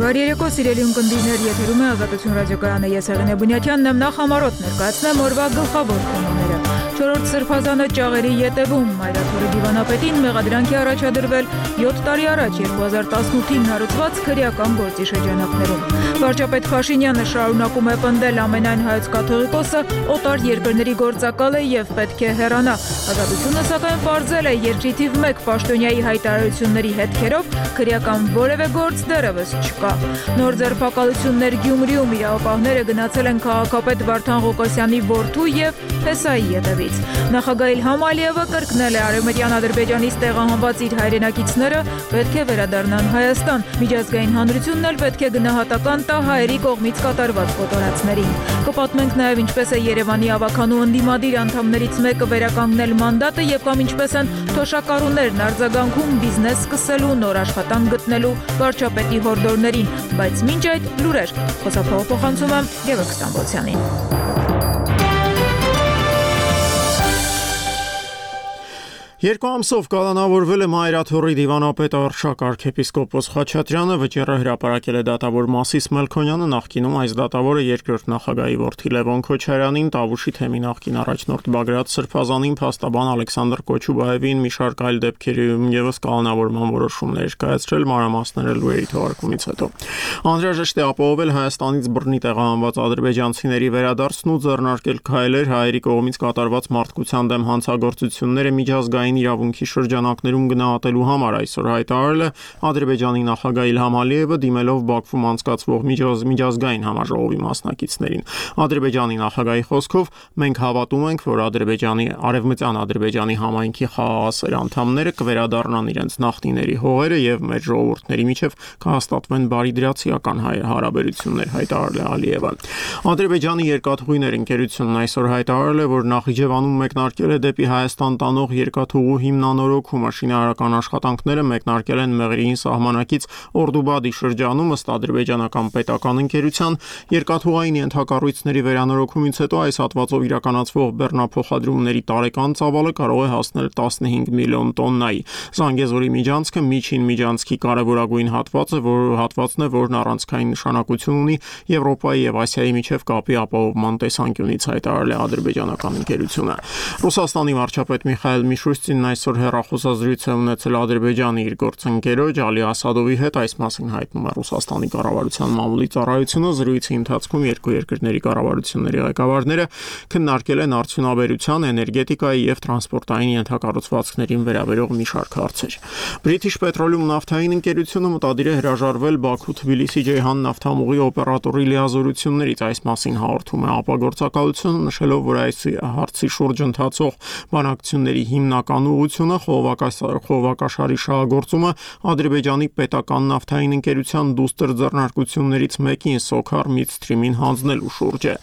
Բարի երեկո, սիրելի ունկնդիրներ, եթերում է Ազատություն ռադիոկայանը, ես Հեղինե Բունյաթյանն եմ, նախ համառոտ ներկայացնեմ օրվա գլխավոր թեմաները։ 4-րդ Սրբազանը ճաղերի ետևում Մայրաթորի դիվանապետին մեղադրանքի առաջադրվել 7 տարի առաջ 2018-ին հարուցված քրեական գործի շրջանակներում։ Վարչապետ Փաշինյանը շարունակում է պնդել ամենայն հայոց կաթողիկոսը օտար երկրների գործակալ է եւ պետք է հեռանա։ Ազատությունը սակայն պարզել է երկրի թիվ 1 պաշտոնյայի հայտարարությունների հետքերով քրեական որևէ գործ դեռևս չկա։ Նոր ձերբակալություններ Գյումրիում իրավապահները գնացել են քաղաքապետ Վարդան Ղուկասյանի որդու եւ Փեսայի ետևից։ Նախագահ Իլհամ Ալիևը կրկնել է Արևմտյան Ադրբեջանից տեղահանված իր հայրենակիցները պետք է վերադառնան Հայաստան։ Միջազգային հանրությունն էլ պետք է գնահատական տա հայերի կողմից կատարված կոտորածներին։ Կպատմենք նաեւ ինչպես է Երևանի ավականու ընդդիմադիր անդամներից մեկը վերականգնել մանդատը եւ կամ ինչպես են թոշակառուներն արձագանքում բիզնես սկսելու, նոր աշխատանք գտնելու վարչապետի հորդորներին, բայց մինչ այդ լուրեր։ Խոսափողոցում եմ Գևորգ Ստամբոլցյանին։ Երկու ամսով կալանավորվել է Մայրաթորի դիվանապետ Արշակ arczepiskopos Խաչատրյանը, վճիռը հրապարակել է դատավոր Մասիս Մելքոնյանը, նախկինում այս դատավորը երկրորդ նախագահի որդի Լևոն Քոչարյանին, Տավուշի թեմի նախկին առաջնորդ Բագրատ Սրբազանին, փաստաբան Ալեքսանդր Կոչուբաևին, մի շարք այլ դեպքերում եւս կալանավորման որոշումներ կայացրել, մանրամասները լուրերի թողարկումից հետո։ Անհրաժեշտ է ապահովել Հայաստանից բռնի տեղահանված ադրբեջանցիների վերադարձն ու ձեռնարկել քայլեր հայերի կողմից կատարված մարդկության դեմ հանցագործությունները միջազգային իրավունքի շրջանակներում գնահատելու համար, այսօր հայտարարել է Ադրբեջանի նախագահ Իլհամ Ալիևը, դիմելով Բաքվում անցկացվող միջազգային համաժողովի մասնակիցներին։ Ադրբեջանի նախագահի խոսքով մենք հավատում ենք, որ Արևմտյան Ադրբեջանի համայնքի խաղաղասեր անդամները կվերադառնան իրենց նախնիների հողերը եւ մեր ժողովուրդների միջև կհաստատվեն բարիդրացիական հարաբերություններ, հայտարարել է Ալիևը։ Ադրբեջանի երկաթուղիներ ընկերությունն այսօր հայտարարել է, որ Նախիջևանում մեկնարկել է դեպի Հայաստան տանող երկաթուղու հիմնանորոգումը, շինարարական աշխատանքները մեկնարկել են Մեղրիին սահմանակից Օրդուբադի շրջանում, ըստ ադրբեջանական պետական ընկերության երկաթուղային ենթակառույցների վերանորոգումից հետո այս հատվածով իրականացվող բեռնափոխադրումների տարեկան ծավալը կարող է հասնել 15 միլիոն տոննայի։ Զանգեզուրի միջանցքը միջին միջանցքի կարևորագույն հատվածն է, որն առանցքային նշանակություն ունի Եվրոպայի եւ Ասիայի միջև կապի ապահովման տեսանկյունից, հայտարարել է ադրբեջանական ընկերությունը։ Ռուսաստանի վարչապետ Միխայել Միշուստինն այսօր հեռախոսազրույց է ունեցել Ադրբեջանի իր գործընկերոջ Ալի Ասադովի հետ, այս մասին հայտնում է Ռուսաստանի կառավարության մամուլի ծառայությունը։ Զրույցի ընթացքում երկու երկրների կառավարությունների ղեկավարները քննարկել են արդյունաբերության, էներգետիկայի եւ տրանսպորտային ենթակառուցվածքներին վերաբերող մի շարք հարցեր։ British Petroleum նավթային ընկերությունը մտադիր է հրաժարվել Բաքու-Թբիլիսի Ջեյհան նավթամուղի օպերատորի լիազորություններից, այս մասին հաղորդում է ապագործակալությունը, նշելով, որ այս հարցի շուրջ ընթացող բանակցությունների հիմնական ուղղությունը խողովակաշարի շահագործումը Ադրբեջանի պետական նավթային ընկերության դուստր ձեռնարկություններից մեկին Սոքար Միդսթրիմին հանձնելու շուրջ է։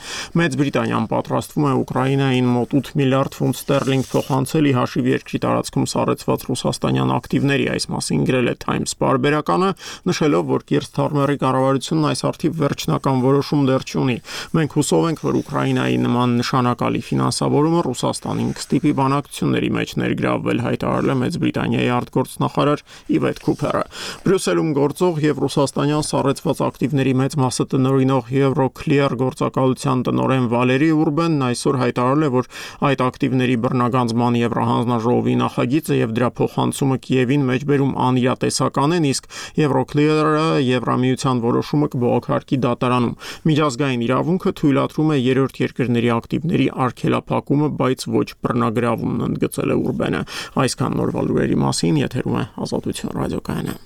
Մեծ Բրիտանիան պատրաստվում է Ուկրաինային մոտ 8 միլիարդ ֆունտ ստերլինգ փոխանցել ի հաշիվ երկրի տարածքում սառեցված ռուսաստանյան ակտիվների, այս մասին գրել է Times պարբերականը, նշելով, որ Կիր Սթարմերի կառավարությունն այս արդիվ վերջնական որոշում դեռ չունի։ Մենք հուսով ենք, որ Ուկրաինայի նման նշանակալի ֆինանսավորումը Ռուսաստանին կստիպի բանակցությունների մեջ ներգրավվել, հայտարարել է Մեծ Բրիտանիայի արտգործնախարար Իվետ Քուփերը։ Բրյուսելում գործող եւ ռուսաստանյան սառեցված ակտիվների մեծ մասը տնօրինող Euroclear գործակալության տնօրեն Վալերի Ուրբենն այսօր հայտարարել է, որ այդ ակտիվների բռնագանձման Եվրահանձնաժողովի նախագիծը եւ դրա փոխանցումը Կիևին մեջբերում անիրատեսական են, իսկ Euroclear-ը Եվրամիության որոշումը կբողոքարկի դատարանում։ Միջազգային իրավունքը թույլատրում է երրորդ երկրների ակտիվների արգելափակումը, բայց ոչ բռնագրավումն, ընդգծել է Ուրբենը։ Այսքան նորվա լուրերի մասին, եթերում է Ազատություն ռադիոկայանը։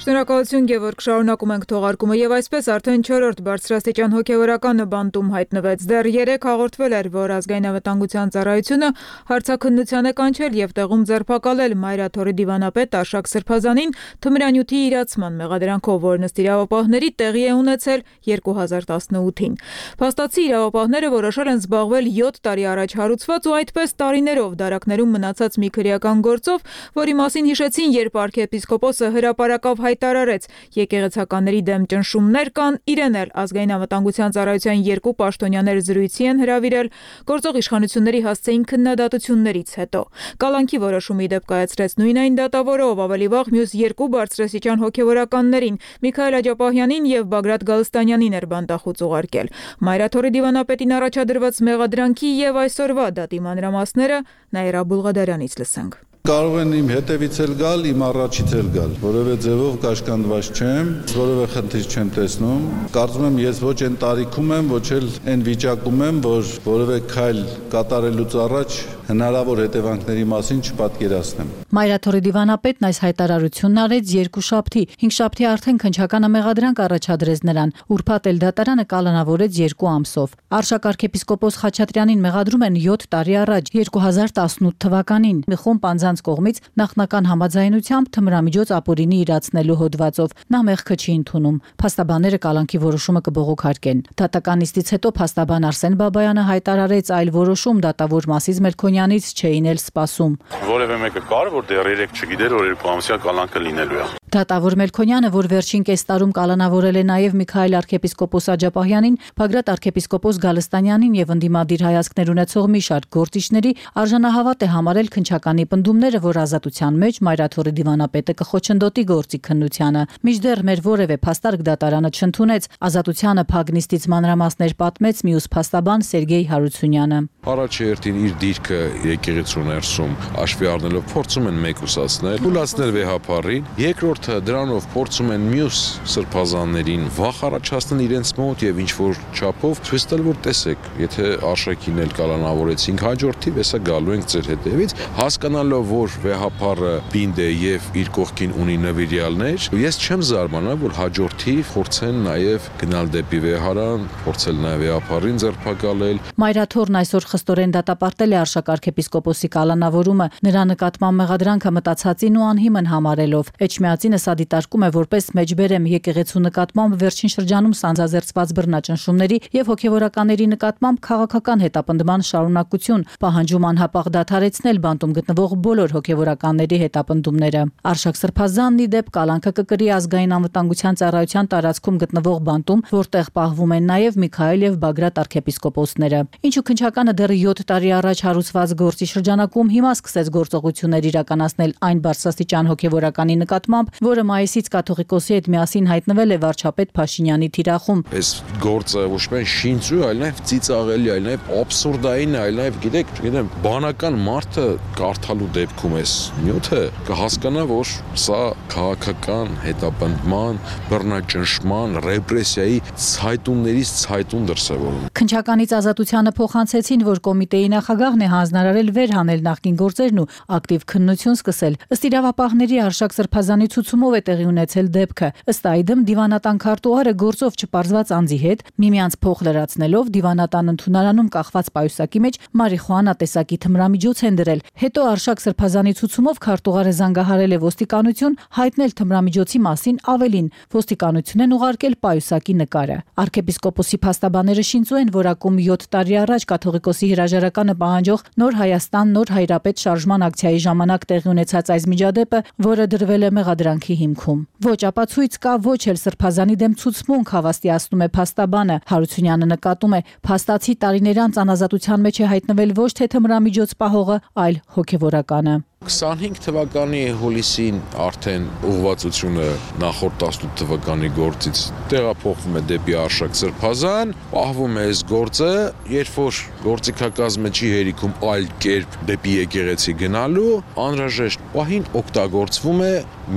Շնորհակալություն Գևորգ, շարունակում ենք թողարկումը եւ այսպես արդեն 4-րդ բարձրաստիճան հոգեվարականը բանտում հայտնվեց։ Դեռ 3 հաղորդվել էր, որ ազգային անվտանգության ծառայությունը հարցաքննության է կանչել եւ տեղում ձերբակալել Մայրաթորի դիվանապետ Արշակ Սրբազանին թմրանյութի իրացման մեղադրանքով, որն ըստ իրավապահների տեղի է ունեցել 2018-ին։ Փաստացի իրավապահները որոշել են զբաղվել 7 տարի առաջ հարուցված ու այդպես տարիներով դարակներում մնացած մի քրեական գործով, որի մասին հիշեցին, երբ arczepiskopos-ը հրապարակավ հայտարարեց, եկեղեցականների դեմ ճնշումներ կան, իրեն էլ ազգային անվտանգության ծառայության 2 պաշտոնյաներ զրույցի են հրավիրել գործող իշխանությունների հասցեին քննադատություններից հետո։ Կալանքի որոշումը ի դեպ կայացրեց նույն այն դատավորը, ով ավելի վաղ մյուս 2 բարձրաստիճան հոգևորականներին՝ Միքայել Աջապահյանին եւ Բագրատ Գալստանյանին էր բանտախուծ ուղարկել։ Մայրաթորի դիվանապետին առաջադրված մեղադրանքի եւ այսօրվա դատի մանրամասները Նաիրա Բուլղադարյանից լսենք։ Կարող են իմ հետևից էլ գալ, իմ առաջից էլ գալ, որևէ ձևով կաշկանդված չեմ, որևէ խնդիր չեմ տեսնում։ Կարծում եմ ես ոչ այն տարիքում եմ, ոչ էլ այն վիճակում եմ, որ որևէ քայլ կատարելուց առաջ հնարավոր հետևանքների մասին չպատկերացնեմ։ Մայրաթորի դիվանապետն այս հայտարարությունն արեց երկուշաբթի, հինգշաբթի արդեն քննչականը մեղադրանք առաջադրեց նրան, ուրբաթ էլ դատարանը կալանավորեց 2 ամսով։ Արշակ arczepiskopos Խաչատրյանին մեղադրում են 7 տարի առաջ, 2018 թվականին, մի խումբ անձանց կողմից նախնական համաձայնությամբ թմրամիջոց ապօրինի իրացնելու հոդվածով։ Նա մեղքը չի ընդունում։ Փաստաբանները կալանքի որոշումը կբողոքարկեն։ Դատական նիստից հետո փաստաբան Արսեն Բաբայանը հայտարարեց այլ որոշում դատավոր Մասիս Մելքոնյանից չէին էլ սպասում։ Որևէ մեկը կար, որ դեռ 3 չգիտեր, որ 2 ամսյա կալանքը լինելու է։ Դատավոր Մելքոնյանը, որ վերջին կես տարում կալանավորել է նաև Միքայել arczepiskopos Աջապահյանին, Բագրատ arczepiskopos Գալստանյանին եւ ընդդիմադիր հայացքներ ունեցող մի շարք գործիչների, արժանահավատ է համարել քննչականի պնդումները, որ ազատության մեջ Մայրաթորի դիվանապետը կխոչընդոտի գործի քննությանը։ Մինչդեռ մեր որևէ փաստարկ դատարանը չընդունեց, ազատությանը փագնիստից մանրամասներ պատմեց մյուս փաստաբան Սերգեյ Հարությունյանը։ Առաջերտին իր դիրքը եկեղեցու ներսում աշվի առնելով փորձում են մեկուսացնել, թույլատնել վեհապարին, երկրորդը դրանով փորձում են մյուս սրբազաններին վախ առաջացնել իրենց մոտ եւ ինչ որ չափով ցույց տալ, որ տեսեք, եթե արշակին էլ կալանավորեցինք հաջորդիվ, հեսա գալու ենք ձեր հետևից, հասկանալով, որ վեհապարը բինդ է եւ իր կողքին ունի նվիրյալներ, ես չեմ զարմանա, որ հաջորդիվ փորձեն նաեւ գնալ դեպի վեհարան, փորձել նաեւ վեհապարին ձերբակալել։ Մայրաթորն այսօր խստորեն դատապարտել է Արշակ arczepiskopos-ի կալանավորումը, նրա նկատմամբ մեղադրանքը մտածածին ու անհիմն համարելով։ Էջմիածինը սա դիտարկում է որպես մեջբերեմ եկեղեցու նկատմամբ վերջին շրջանում սանձազերծված բռնաճնշումների եւ հոգեվորականների նկատմամբ քաղաքական հետապնդման շարունակություն, պահանջում անհապաղ դադարեցնել բանտում գտնվող բոլոր հոգեվորականների հետապնդումները։ Արշակ սրբազանն ի դեպ կալանքը կկրի ազգային անվտանգության ծառայության տարածքում գտնվող բանտում, որտեղ պահվում են նաեւ Միքայել եւ Բագրատ arczepiskopos-ները։ Ինչու քննչականը դեռ 7 տարի առաջ հարուցված գործի շրջանակում հիմա սկսեց գործողություններ իրականացնել այն բարձրաստիճան հոգեվորականի նկատմամբ, որը մայիսից կաթողիկոսի հետ միասին հայտնվել է վարչապետ Փաշինյանի թիրախում։ Այս գործը ոչ միայն շինծու, այլ նաեւ ծիծաղելի, այլ նաեւ աբսուրդային, այլ նաեւ գիտեմ, բանական մարդը կարդալու դեպքում էս նյութը կհասկանա, որ սա քաղաքական հետապնդման, բռնաճնշման, ռեպրեսիայի ցայտուններից ցայտուն դրսևորում։ Քննչականից ազատությանը փոխանցեցին, որ կոմիտեի նախագահն է հանձնարարել վերհանել նախկին գործերն ու ակտիվ քննություն սկսել։ Ըստ իրավապահների Արշակ սրբազանի ցուցումով է տեղի ունեցել դեպքը։ Ըստ այդմ դիվանատան քարտուղարը գործով չպարզված անձի հետ միմյանց փող լրացնելով դիվանատան ընդունարանում կախված պայուսակի մեջ մարիխուանա տեսակի թմրամիջոց են դրել։ Հետո Արշակ սրբազանի ցուցումով քարտուղարը զանգահարել է ոստիկանություն հայտնել թմրամիջոցի մասին ավելին։ Ոստիկանություն են ուղարկել պայուսակի նկարը։ Arczepiskopos-ի փաստաբանները շինծու են, որ ակում 7 տարի առաջ կաթողիկոսի հրաժարականը պահանջող Նոր Հայաստան Նոր Հայրապետ շարժման ակցիայի ժամանակ տեղի ունեցած այս միջադեպը, որը դրվել է մեղադրանքի հիմքում։ Ոչ ապացույց կա, ոչ էլ սրբազանի դեմ ցուցմունք, հավաստիացնում է փաստաբանը։ Հարությունյանը նկատում է, փաստացի տարիներ անց անազատության մեջ է հայտնվել ոչ թե թմրամիջոց պահողը, այլ հոգևորականը։ 25 թվականի հուլիսին արդեն ուղղվածությունը նախորդ 18 թվականի գործից տեղափոխվում է դեպի Արշակ սրբազան, պահվում է այս գործը, երբ որ գործիքակազմը չի հերիքում այլ կերպ դեպի եկեղեցի գնալու, անհրաժեշտ պահին օգտագործվում է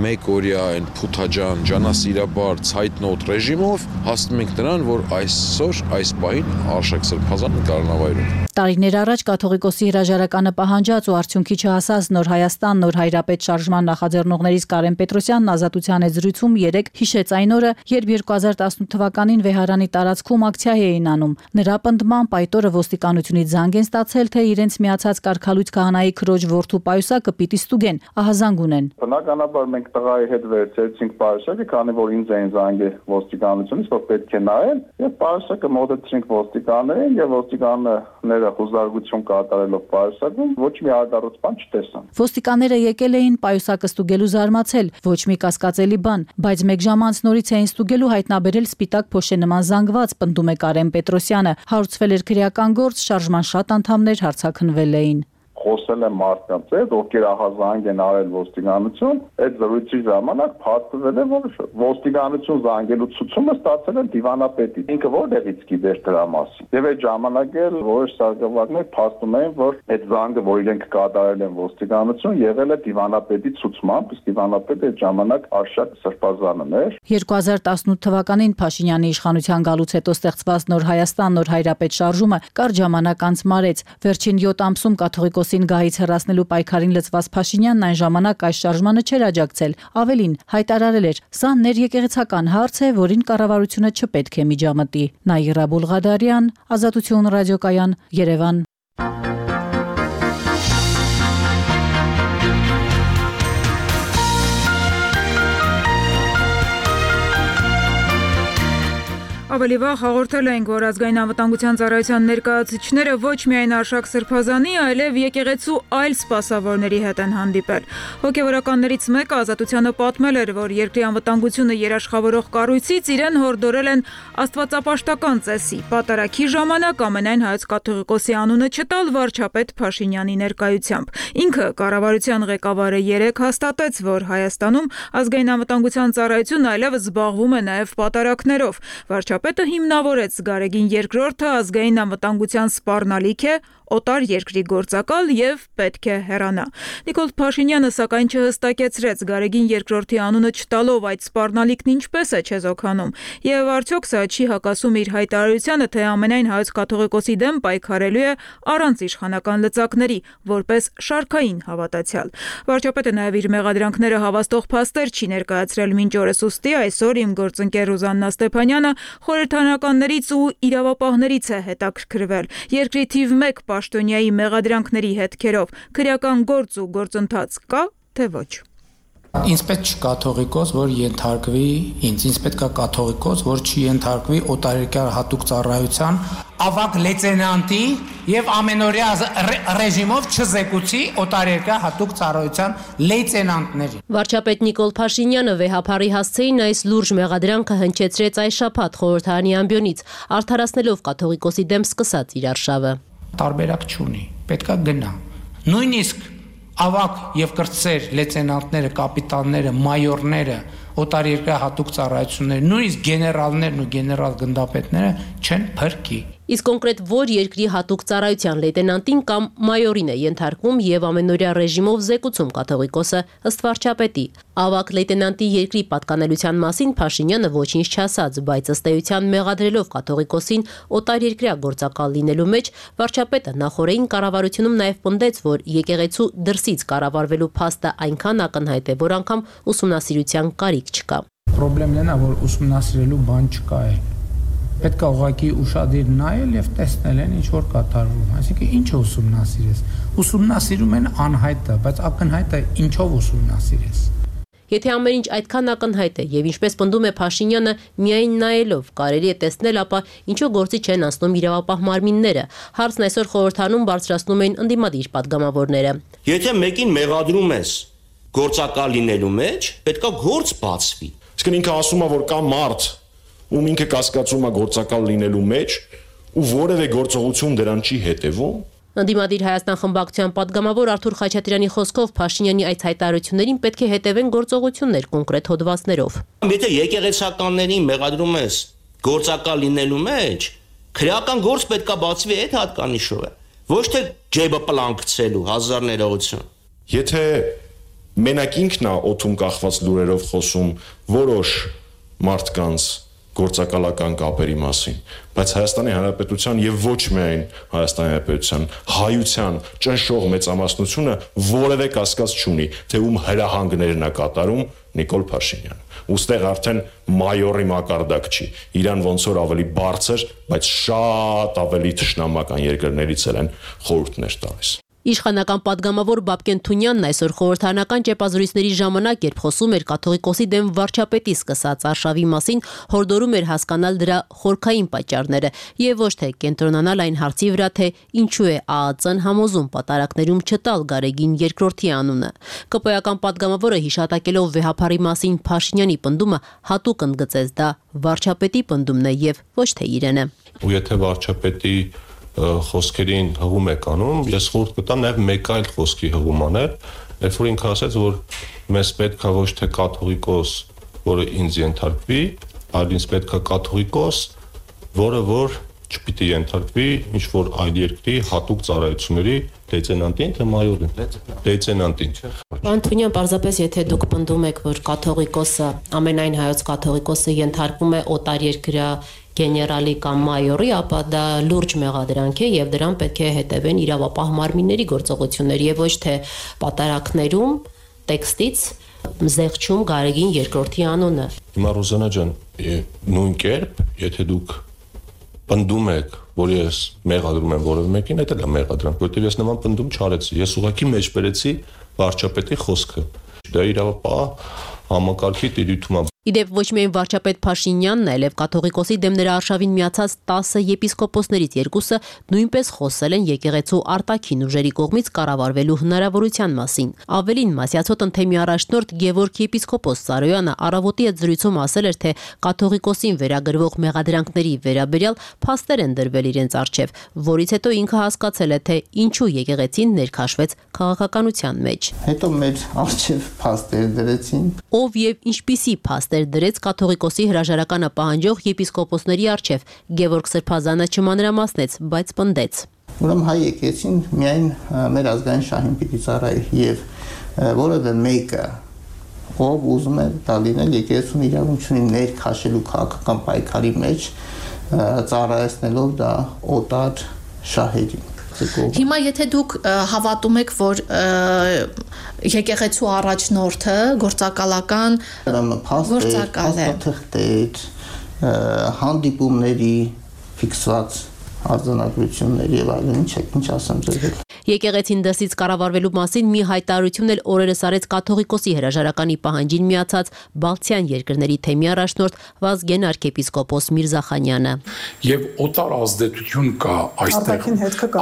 մեկօրյա այն փութաջան ջանասիրաբար ցայտնոտ ռեժիմով, հասնում ենք նրան, որ այսօր այս պահին Արշակ սրբազանը կալանավայրում։ Տարիներ առաջ կաթողիկոսի հրաժարականը պահանջած ու արդյունքի չհասած Նոր Հայաստան Նոր Հայրապետ շարժման նախաձեռնողներից Կարեն Պետրոսյանն ազատության զրույցում 3 հիշեց այն օրը, երբ 2018 թվականին Վեհարանի տարածքում ակցիա էին անում։ Նրա պնդմամբ այդ օրը ոստիկանությունից զանգ են ստացել, թե իրենց միացած կարգալույց քահանայի քրոջ որդու պայուսակը պիտի ստուգեն, ահազանգ ունեն։ Բնականաբար մենք տղայի հետ վերցրեցինք պայուսակը, քանի որ ինձ էին զանգել ոստիկանությունից, որ պետք է նայել, եւ պայուսակը մոտեցրինք ոստիկաններին եւ ոստիկանները հուզարկություն կատարելով պայուսակում ոչ մի արտարոց բան չտեսան։ Ոստիկանները եկել էին պայուսակը ստուգելու զարմացել, ոչ մի կասկածելի բան, բայց մեկ ժամ անց նորից էին ստուգելու հայտնաբերել սպիտակ փոշե նման զանգված, պնդում է Կարեն Պետրոսյանը։ Հարուցվել էր քրեական գործ, շարժման շատ անդամներ հարցաքննվել էին։ Խոսել եմ մարդկանց հետ, ովքեր ահազանգ են արել ոստիկանություն, այդ զրույցի ժամանակ փաստվել է, որ ոստիկանություն զանգելու ցուցումը ստացել են դիվանապետից։ Ինքը որտեղից գիտեր դրա մասին։ Եվ այդ ժամանակ էլ որոշ սարքավորներ փաստում էին, որ այդ զանգը, որ իրենք կատարել են ոստիկանություն, եղել է դիվանապետի ցուցմամբ, իսկ դիվանապետը այդ ժամանակ Արշակ Սրբազանն էր։ 2018 թվականին Փաշինյանի իշխանության գալուց հետո ստեղծված Նոր Հայաստան, Նոր Հայրապետ շարժումը կարճ ժամանակ անց մարեց։ Վերջին 7 ամսում կաթողիկոսին գահից հեռացնելու պայքարին լծված Փաշինյանն այն ժամանակ այս շարժմանը չէր աջակցել։ Ավելին, հայտարարել էր. «Սա ներեկեղեցական հարց է, որին կառավարությունը չպետք է միջամտի»։ Նաիրա Բուլղադարյան, Ազատություն ռադիոկայան, Երևան։ Ավելի վաղ հաղորդել ենք, որ ազգային անվտանգության ծառայության ներկայացուցիչները ոչ միայն Արշակ Սրբազանի, այլև եկեղեցու այլ սպասավորների հետ են հանդիպել։ Հոգևորականներից մեկը Ազատությանը պատմել էր, որ երկրի անվտանգությունը երաշխավորող կառույցից իրեն հորդորել են աստվածապաշտական ծեսի պատարագի ժամանակ ամենայն հայոց կաթողիկոսի անունը չտալ վարչապետ Փաշինյանի ներկայությամբ։ Ինքը կառավարության ղեկավարը 3 հաստատեց, որ Հայաստանում ազգային անվտանգության ծառայությունը այլևս զբաղվում է նաև պատարագներով։ Վարչապետը հիմնավորեց Գարեգին II ազգային անվտանգության սպառնալիք է, օտար երկրի գործակալ եւ պետք է հեռանա։ Նիկոլ Փաշինյանը սակայն չհստակեցրեց Գարեգին II անունը չտալով այդ սպառնալիքն ինչպես է չեզոքանում, եւ արդյոք սա չի հակասում իր հայտարարությանը, թե ամենայն հայոց կաթողիկոսի դեմ պայքարելու է առանց իշխանական լծակների, որպես շարքային հավատացյալ։ Վարչապետը նաեւ իր մեղադրանքները հավաստող փաստեր չի ներկայացրել մինչ օրս, ուստի այսօր իմ գործընկեր Ռուզաննա Ստեփանյանը խորհրդարանականներից ու իրավապահներից է հետաքրքրվել։ Երկրի թիվ 1 պաշտոնյայի մեղադրանքների հետքերով քրեական գործ ու գործընթաց կա, թե ոչ։ Ինձ պետք չի կաթողիկոս, որ ենթարկվի ինձ պետք է կաթողիկոս, որ չի ենթարկվի օտարերկրյա հատուկ ծառայության ավագ լեյտենանտի եւ ամենօրյա ռեժիմով չզեկուցի օտարերկրյա հատուկ ծառայության լեյտենանտներին։ Վարչապետ Նիկոլ Փաշինյանը վեհափարի հասցեին այս լուրջ մեղադրանքը հնչեցրեց այս շաբաթ խորհրդարանի ամբիոնից, արդարացնելով կաթողիկոսի դեմ սկսած իր արշավը։ Տարբերակ չունի, պետքա գնա։ Նույնիսկ ավակ եւ կրտսեր լեյտենանտները, կապիտանները, մայորները, օտարերկրյա հատուկ ծառայությունները, նույնիսկ գեներալներն ու գեներալ գնդապետները չեն փրկի։ Իսկ կոնկրետ որ երկրի հատուկ ծառայության լեյտենանտին կամ մայորին է ենթարկվում եւ ամենօրյա ռեժիմով զեկուցում կաթողիկոսը ըստ վարչապետի։ Ավակ լեյտենանտի երկրի պատկանելության մասին Փաշինյանը ոչինչ չասաց, բայց ըստ էության մեղադրելով կաթողիկոսին օտարերկրյա գործակալ լինելու մեջ, վարչապետը նախորդին կառավարությունում նաեւ պնդեց, որ եկեղեցու դրսից կառավարվելու փաստը այնքան ակնհայտ է, որ անգամ ուսումնասիրության կարիք չկա։ Պրոբլեմն է, որ ուսումնասիրելու բան չկա է։ Պետք է ուղղակի ուշադիր նայել եւ տեսնել են ինչ որ կատարվում, այսինքն ինչը ուսումնասիրես։ Ուսումնասիրում են անհայտը, բայց ակնհայտը ինչով ուսումնասիրես։ Եթե ամեն ինչ այդքան ակնհայտ է եւ ինչպես պնդում է Փաշինյանը, միայն նայելով կարելի է տեսնել, ապա ինչու գործի չեն անցնում իրավապահ մարմինները։ Հարցն այսօր խորհրդանում բարձրացնում էին ընդդիմադիր պատգամավորները։ Եթե մեկին մեղադրում ես գործակալ լինելու մեջ, պետքա գործ բացվի։ Իսկ ինքը ասում է, որ կա մարդ, ում ինքը կասկածում է գործակալ լինելու մեջ ու որևէ գործողություն դրան չի հետևում։ Ընդդիմադիր Հայաստան խմբակցության պատգամավոր Արթուր Խաչատրյանի խոսքով Փաշինյանի այդ հայտարարություններին պետք է հետևեն գործողություններ կոնկրետ հոդվածներով։ Եթե եկեղեցականներին մեղադրում ես գործակալ լինելու մեջ, քրեական գործ պետքա բացվի այդ հատկանիշով է, ոչ թե ջեբը պլանկցելու հազար ներողություն։ Եթե մենակ ինքն է օթում կախված լուրերով խոսում որոշ մարդկանց գործակալական կապերի մասին, բայց Հայաստանի Հանրապետության եւ ոչ միայն Հայաստանի Հանրապետության հայության ճնշող մեծամասնությունը որևէ կասկած չունի, թե ում հրահանգներն է կատարում Նիկոլ Փաշինյանը։ Ոստեղ արդեն մայորի մակարդակ չի, իրան ոնց որ ավելի բարձր, բայց շատ ավելի թշնամական երկրներից են խորհուրդներ տալիս։ Իշխանական պատգամավոր Բաբկեն Թունյանն այսօր խորհրդարանական ճեպազրույցների ժամանակ, երբ խոսում էր կաթողիկոսի դեմ վարչապետի սկսած արշավի մասին, հորդորում էր հասկանալ դրա խորքային պատճառները եւ ոչ թե կենտրոնանալ այն հարցի վրա, թե ինչու է ԱԱԾ-ն համոզում պատարակներում չտալ Գարեգին II-ի անունը։ ԿՊ-ական պատգամավորը հիշատակելով վեհափարի մասին Փաշինյանի պնդումը հատուկ ընդգծեց դա վարչապետի պնդումն է եւ ոչ թե իրենը։ Ու եթե վարչապետի խոսքերին հղում եք անում, ես խորհուրդ կտամ նաև մեկ այլ խոսքի հղում անել, երբ որ ինքը ասաց, որ մեզ պետք է ոչ թե կաթողիկոս, որը ինձ ենթարկվի, այլ ինձ պետք է կաթողիկոս, որը որ չպիտի ենթարկվի ինչ որ այլ երկրի հատուկ ծառայությունների լեյտենանտին, թե մայորին, լեյտենանտին։ Պարոն Թունյան, պարզապես եթե դուք պնդում եք, որ կաթողիկոսը, ամենայն հայոց կաթողիկոսը ենթարկվում է օտարերկրյա գեներալի կամ մայորի, ապա դա լուրջ մեղադրանք է եւ դրան պետք է հետևեն իրավապահ մարմինների գործողություններ եւ ոչ թե պատարակներում տեքստից զեղչում Գարեգին II-ի անունը։ Հիմա Ռոզանա ջան, նույն կերպ, եթե դուք պնդում եք, որ ես մեղադրում եմ որևէ մեկին, դա է մեղադրանք, որովհետեւ ես նման պնդում չարեցի։ Ես ուղղակի մեջբերեցի վարչապետի խոսքը։ Դա իրավապահ համակարգի տիրույթում է։ Իդեպ ոչ միայն վարչապետ Փաշինյանն, այլև կաթողիկոսի դեմ նրա արշավին միացած 10 եպիսկոպոսներից երկուսը նույնպես խոսել են եկեղեցու արտաքին ուժերի կողմից կառավարվելու հնարավորության մասին։ Ավելին, Մասյացոտ ընթեմի առաջնորդ Գևորգ եպիսկոպոս Սարոյանը առավոտի հետ զրույցում ասել էր, թե կաթողիկոսին վերագրվող մեղադրանքների վերաբերյալ փաստեր են դրվել իրենց առջև, որից հետո ինքը հասկացել է, թե ինչու եկեղեցին ներքաշվեց քաղաքականության մեջ։ Հետո մեր առջև փաստեր դրեցին։ Ով եւ ինչպիսի փաստեր դրեց կաթողիկոսի հրաժարականը պահանջող եպիսկոպոսների առջև, Գևորգ Սրբազանը չմանրամասնեց, բայց պնդեց։ Ուրեմն հայ եկեղեցին միայն մեր ազգային շահին պիտի ծառայի եւ որևէ մեկը ով ուզում է դա լինել եկեղեցուն իրավունք ունի ներքաշելու քաղաքական պայքարի մեջ ծառայեցնելով դա օտար շահերին։ Հիմա եթե դուք հավատում եք, որ եկեղեցու առաջնորդը գործակալական գործակալ է, փաստաթղթեր, հանդիպումների ֆիքսված արձանագրություններ եւ այլն, ինչ ասեմ ձեզ։ Եկեղեցին դասից կառավարվելու մասին մի հայտարարություն էլ օրերս արեց կաթողիկոսի հրաժարականի պահանջին միացած Բալթյան երկրների թեմի առաջնորդ Վազգեն arczepiskopos Միրզախանյանը։ Եվ օտար ազդեցություն կա այստեղ,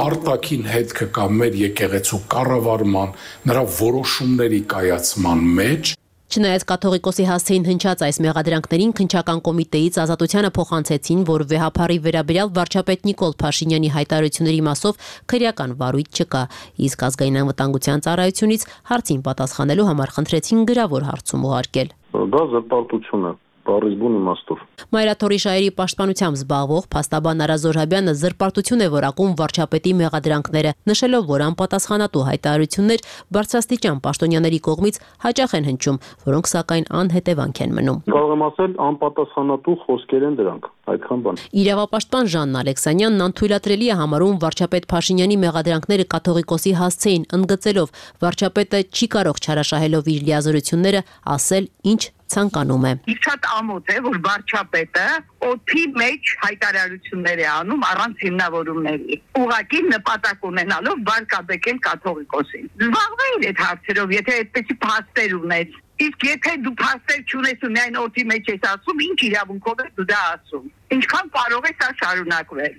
արտաքին հետքը կա մեր եկեղեցու կառավարման, նրա որոշումների կայացման մեջ։ Չնայած կաթողիկոսի հասցեին հնչած այս մեղադրանքներին քննչական կոմիտեից ազատությանը փոխանցեցին, որ վեհափարի վերաբերյալ վարչապետ Նիկոլ Փաշինյանի հայտարարությունների մասով քրեական վարույթ չկա, իսկ ազգային անվտանգության ծառայությունից հարցին պատասխանելու համար խնդրեցին գրավոր հարցում ուղարկել։ Դա զրպարտություն է։ Բառիզբուն իմաստով։ Մայրաթորի շահերի պաշտպանությամբ զբաղվող փաստաբան Արա Զորհաբյանը զրպարտություն է որակում վարչապետի մեղադրանքները, նշելով, որ անպատասխանատու հայտարարություններ բարձրաստիճան պաշտոնյաների կողմից հաճախ են հնչում, որոնք սակայն անհետևանք են մնում։ Կարող եմ ասել, անպատասխանատու խոսքեր են դրանք, այդքան բան։ Իրավապաշտպան Ժանն Ալեքսանյանն անթույլատրելի է համարում վարչապետ Փաշինյանի մեղադրանքները կաթողիկոսի հասցեին, ընդգծելով, վարչապետը չի կարող չարաշահելով իր լիազորությունները ասել, ինչ ցանկանում է։ Շատ ամոթ է, որ վարչապետը օդի մեջ հայտարարություններ է անում առանց հիմնավորումների։ Ուղղակի նպատակ ունենալով բարկաբեկել կաթողիկոսին։ Զբաղվեին այդ հարցերով, եթե այդպեսի փաստեր ունես։ Իսկ եթե դու փաստեր չունես ու միայն օդի մեջ ես ասում, ինչ իրավունքով ես դու դա ասում։ Ինչքան կարող է սա շարունակվել։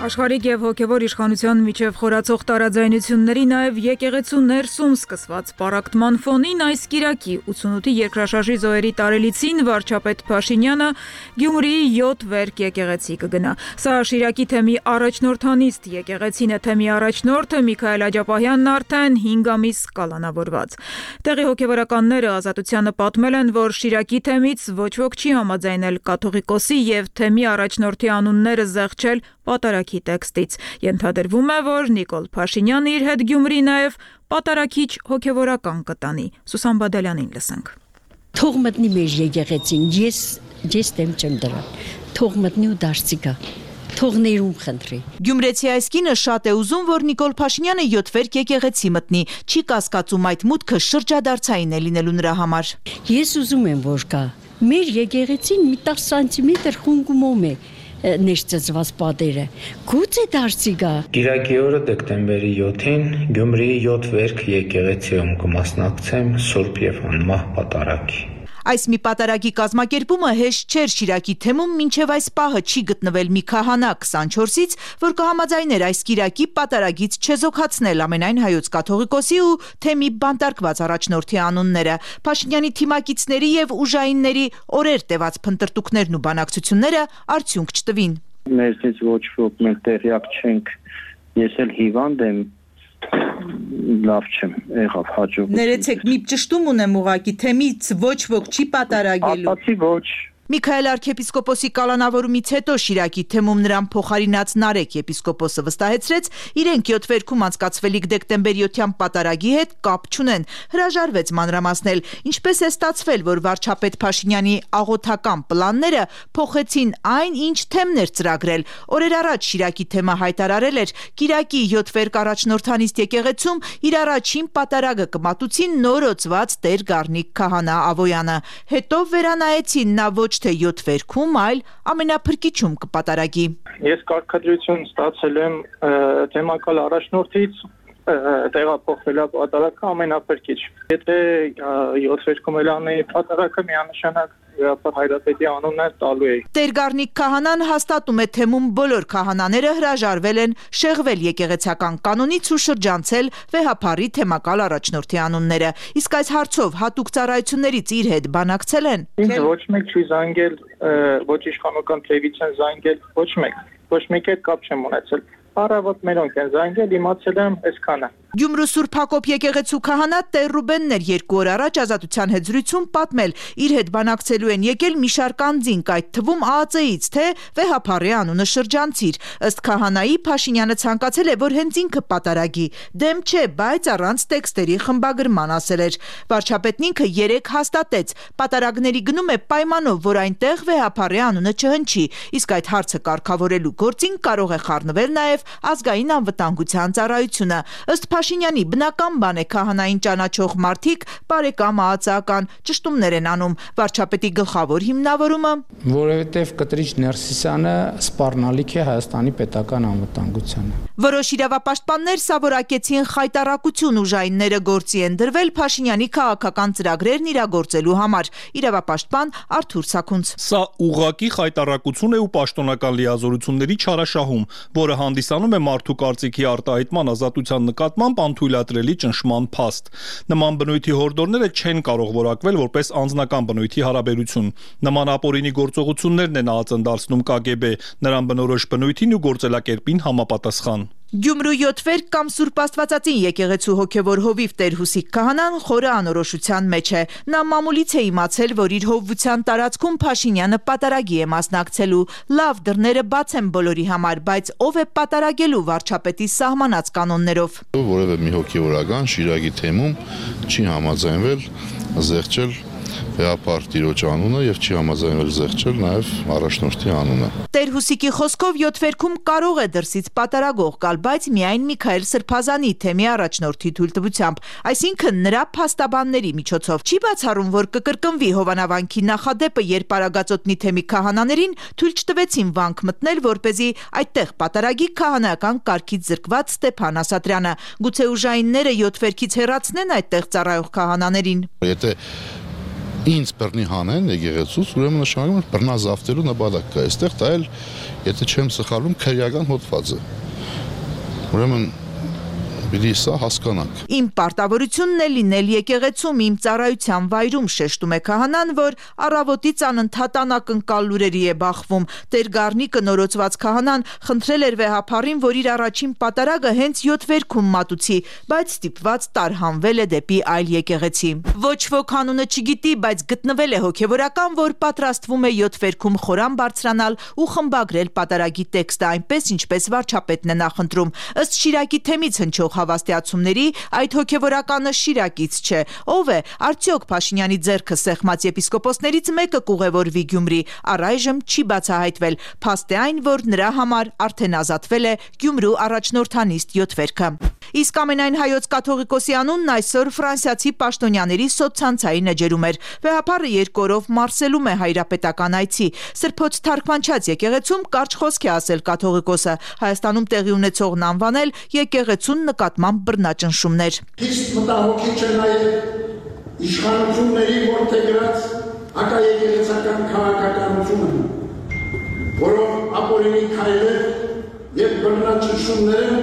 Աշխարհիկ եւ հոգեվոր իշխանության միջև խորացող տարաձայնությունների նաեւ եկեղեցու ներսում սկսված պարակտման ֆոնին այս կիրակի 88-ի երկրաշարժի զոհերի տարելիցին վարչապետ Փաշինյանը Գյումրիի 7 վերք եկեղեցի կգնա։ Սա Շիրակի թեմի առաջնորդանիստ եկեղեցին է, թեմի առաջնորդը Միքայել Աջապահյանն արդեն 5 ամիս կալանավորված։ Տեղի հոգեվորականները Ազատությանը պատմել են, որ Շիրակի թեմից ոչ ոք չի համաձայնել կաթողիկոսի եւ թեմի առաջնորդի անունները զեղչել պատարակի տեքստից։ Ենթադրվում է, որ Նիկոլ Փաշինյանը իր հետ Գյումրի նաև պատարակիչ հոգևորական կտանի։ Սուսան Բադալյանին լսենք։ Թող մտնի մեր եկեղեցին, ես դեմ չեմ դրան։ Թող մտնի ու դարձի գա։ թող ներում խնդրի։ Գյումրեցի այս կինը շատ է ուզում, որ Նիկոլ Փաշինյանը 7 վերք եկեղեցի մտնի, չի կասկածում այդ մուտքը շրջադարձային է լինելու նրա համար։ Ես ուզում եմ, որ գա։ Մեր եկեղեցին մի 10 սանտիմետր խունգումում է ներծծված պատերը։ Գուցե դարձի գա։ Կիրակի օրը դեկտեմբերի 7-ին Գյումրիի 7 վերք եկեղեցիում կմասնակցեմ Սուրբ եւ Անմահ պատարագի։ Այս մի պատարագի կազմակերպումը հեշտ չէր Շիրակի թեմում, մինչև այս պահը չի գտնվել մի քահանա 24-ից, որ կհամաձայներ այս կիրակի պատարագից չեզոքացնել ամենայն հայոց կաթողիկոսի ու թեմի բանտարկված առաջնորդի անունները։ Փաշինյանի թիմակիցների եւ ուժայինների օրեր տևած փնտրտուքներն ու բանակցությունները արդյունք չտվին։ Մեզնից ոչ ոք մենք տեղյակ չենք, ես էլ հիվանդ եմ, լավ չեմ, եղավ հաջողություն։ Ներեցեք, մի ճշտում ունեմ ուղակի, թեմից ոչ ոք չի պատարագելու։ Ապացի ոչ։ Միքայել arczepiskopos-ի կալանավորումից հետո Շիրակի թեմում նրան փոխարինած Նարեկ եպիսկոպոսը վստահեցրեց, իրենք 7 վերքում անցկացվելիք դեկտեմբերի 7-յան պատարագի հետ կապ չունեն, հրաժարվեց մանրամասնել, ինչպես է ստացվել, որ վարչապետ Փաշինյանի աղոթական պլանները փոխեցին այն, ինչ թեմներ ծրագրել։ Օրեր առաջ Շիրակի թեմը հայտարարել էր, Կիրակի 7 վերք առաջնորդանիստ եկեղեցում իր առաջին պատարագը կմատուցին նորոցված Տեր Գառնիկ քահանա Ավոյանը։ Հետո վերանայեցին նա ոչ թե 7 վերքում, այլ ամենափրկիչում կպատարագի։ Ես կարգադրություն ստացել եմ թեմակալ առաջնորդից, տեղափոխվելա պատարագը ամենափրկիչ։ Եթե 7 վերքում էլ անեի պատարագը միանշանակ Հայրապետի անունն տալու էի։ Տեր Գառնիկ քահանան հաստատում է թեմում բոլոր քահանաները հրաժարվել են շեղվել եկեղեցական կանոնից ու շրջանցել վեհափառի թեմակալ առաջնորդի անունները։ Իսկ այս հարցով հատուկ ծառայություններից իր հետ բանակցել են։ Ինձ ոչ մեկ չի զանգել, ոչ իշխանական թևից են զանգել, ոչ մեկ հետ կապ չեմ ունեցել։ Առավոտ մերոնք են զանգել, իմացել եմ այսքանը։ Գյումրու Սուրբ Հակոբ եկեղեցու քահանա Տեր Ռուբենն էր 2 օր առաջ Ազատության հետ զրույցում պատմել, իր հետ բանակցելու են եկել մի շարք անձինք, այդ թվում ԱԱԾ-ից, թե վեհափառի անունը շրջանցիր։ Ըստ քահանայի Փաշինյանը ցանկացել է, որ հենց ինքը պատարագի։ Դեմ չէ, բայց առանց տեքստերի խմբագրման ասել էր։ Վարչապետն ինքը 3 հաստատեց, պատարագների գնում է պայմանով, որ այնտեղ վեհափառի անունը չհնչի, իսկ այդ հարցը կարգավորելու գործին կարող է խառնվել նաև ազգային անվտանգության ծառայությունը։ Ըստ Փաշինյանի բնական բան է քահանային ճանաչող մարդիկ բարեկամ ԱԱԾ-ական ճշտումներ են անում։ Վարչապետի գլխավոր հիմնավորումը, որովհետև Կտրիչ Ներսիսյանը սպառնալիք է Հայաստանի պետական անվտանգությանը։ Որոշ իրավապաշտպաններ սավորակեցին խայտառակություն, ուժայինները գործի են դրվել Փաշինյանի քաղաքական ծրագրերն իրագործելու համար։ Իրավապաշտպան Արթուր Սաքունց։ Սա ուղղակի խայտառակություն է ու պաշտոնական լիազորությունների չարաշահում, որը հանդիսանում է մարդու կարծիքի արտահայտման ազատության նկատմամբ անթույլատրելի ճնշման փաստ։ Նման բնույթի հորդորները չեն կարող որակվել որպես անձնական բնույթի հարաբերություն։ Նման ապօրինի գործողություններն են ԱԱԾ-ն դարձնում ԿԳԲ, նրան բնորոշ բնույթին ու գործելակերպին համապատասխան։ Գյումրու 7 վերք կամ Սուրբ Աստվածածին եկեղեցու հոգևոր հովիվ Տեր Հուսիկ քահանան խորը անորոշության մեջ է։ Նա մամուլից է իմացել, որ իր հովվության տարածքում Փաշինյանը պատարագի է մասնակցելու։ Լավ, դռները բաց են բոլորի համար, բայց ով է պատարագելու վարչապետի սահմանած կանոններով։ Որևէ մի հոգևորական Շիրակի թեմում չի համաձայնվել զեղչել վեհափառ տիրոջ անունը եւ չի համաձայնվել զեղչել նաեւ առաջնորդի անունը։ Տեր Հուսիկի խոսքով 7 վերքում կարող է դրսից պատարագող գալ, բայց միայն Միքայել Սրբազանի թեմի առաջնորդի թույլտվությամբ, այսինքն նրա փաստաբանների միջոցով։ Չի բացառում, որ կկրկնվի Հովանավանքի նախադեպը, երբ Արագածոտնի թեմի քահանաներին թույլ չտվեցին վանք մտնել, որպեսզի այդտեղ պատարագի քահանայական կարգից զրկված Ստեփան Ասատրյանը։ Գուցե ուժայինները 7 վերքից հեռացնեն այդտեղ ծառայող քահանաներին։ Եթե ինձ բռնի հանեն եկեղեցուց, ուրեմն նշանակում է բռնազավթելու նպատակ կա այստեղ, դա էլ եթե չեմ սխալվում քրեական հոդված է։ Ուրեմն պիտի սա հասկանանք։ Իմ պարտավորությունն է լինել եկեղեցում իմ ծառայության վայրում, շեշտում է քահանան, որ առավոտից անընդհատ անակնկալ լուրերի է բախվում։ Տեր Գառնիկը նորոցված քահանան խնդրել էր վեհափառին, որ իր առաջին պատարագը հենց 7 վերքում մատուցի, բայց ստիպված տարհանվել է դեպի այլ եկեղեցի։ Ոչ ոք անունը չգիտի, բայց գտնվել է հոգևորական, որ պատրաստվում է 7 վերքում խորան բարձրանալ ու խմբագրել պատարագի տեքստը այնպես, ինչպես վարչապետն է նախընտրում։ Ըստ Շիրակի թեմից հնչող հավաստիացումների այդ հոգևորականը շիրակից չէ։ Ով է, արդյոք Փաշինյանի ձեռքը սեղմած եպիսկոպոսներից մեկը կուղևորվի Գյումրի, առայժմ չի բացահայտվել, փաստ է այն, որ նրա համար արդեն ազատվել է Գյումրու առաջնորդանիստ 7 վերքը։ Իսկ ամենայն հայոց կաթողիկոսի անունն այսօր ֆրանսիացի պաշտոնյաների սոցցանցային էջերում էր։ Վեհափառը 2 օրով մարսելում է հայրապետական այցի։ Սրբոց թարգմանչած եկեղեցում կարճ խոսք է ասել կաթողիկոսը, Հայաստանում տեղի ունեցողն անվանել եկեղեցուն նկատմամբ բռնաճնշումներ։ Իսկ մտահոգիչ է նաև իշխանությունների որդեգրած հակաեկեղեցական քաղաքականությունը, որով ապօրինի քայլեր եւ բռնաճնշումները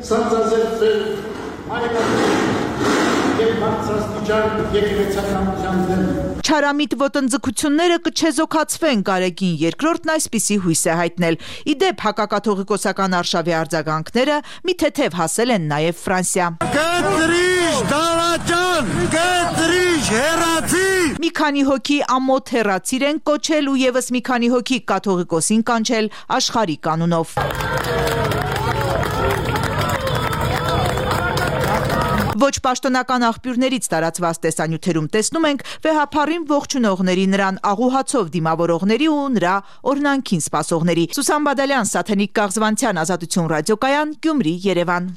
սանձազերծել եւ բարձրաստիճան եկեղեցականության դեմ։ Չարամիտ ոտնձգությունները կչեզոքացվեն, Գարեգին II-ն այսպիսի հույս է հայտնել։ Իդեպ հակակաթողիկոսական արշավի արձագանքները մի թեթև հասել են նաև Ֆրանսիա։ Կտրիչ դավաճան, կտրիչ հեռացի։ Մի քանի հոգի ամոթ հեռացիր են կոչել ու եւս մի քանի հոգի կաթողիկոսին կանչել աշխարհի կանունով։ Ոչ պաշտոնական աղբյուրներից տարածված տեսանյութերում տեսնում ենք վեհափառին ողջունողների, նրան աղուհացով դիմավորողների ու նրա օրհնանքին սպասողների։ Սուսան Բադալյան, Սաթենիկ Կաղզվանցյան, Ազատություն ռադիոկայան, Գյումրի, Երևան։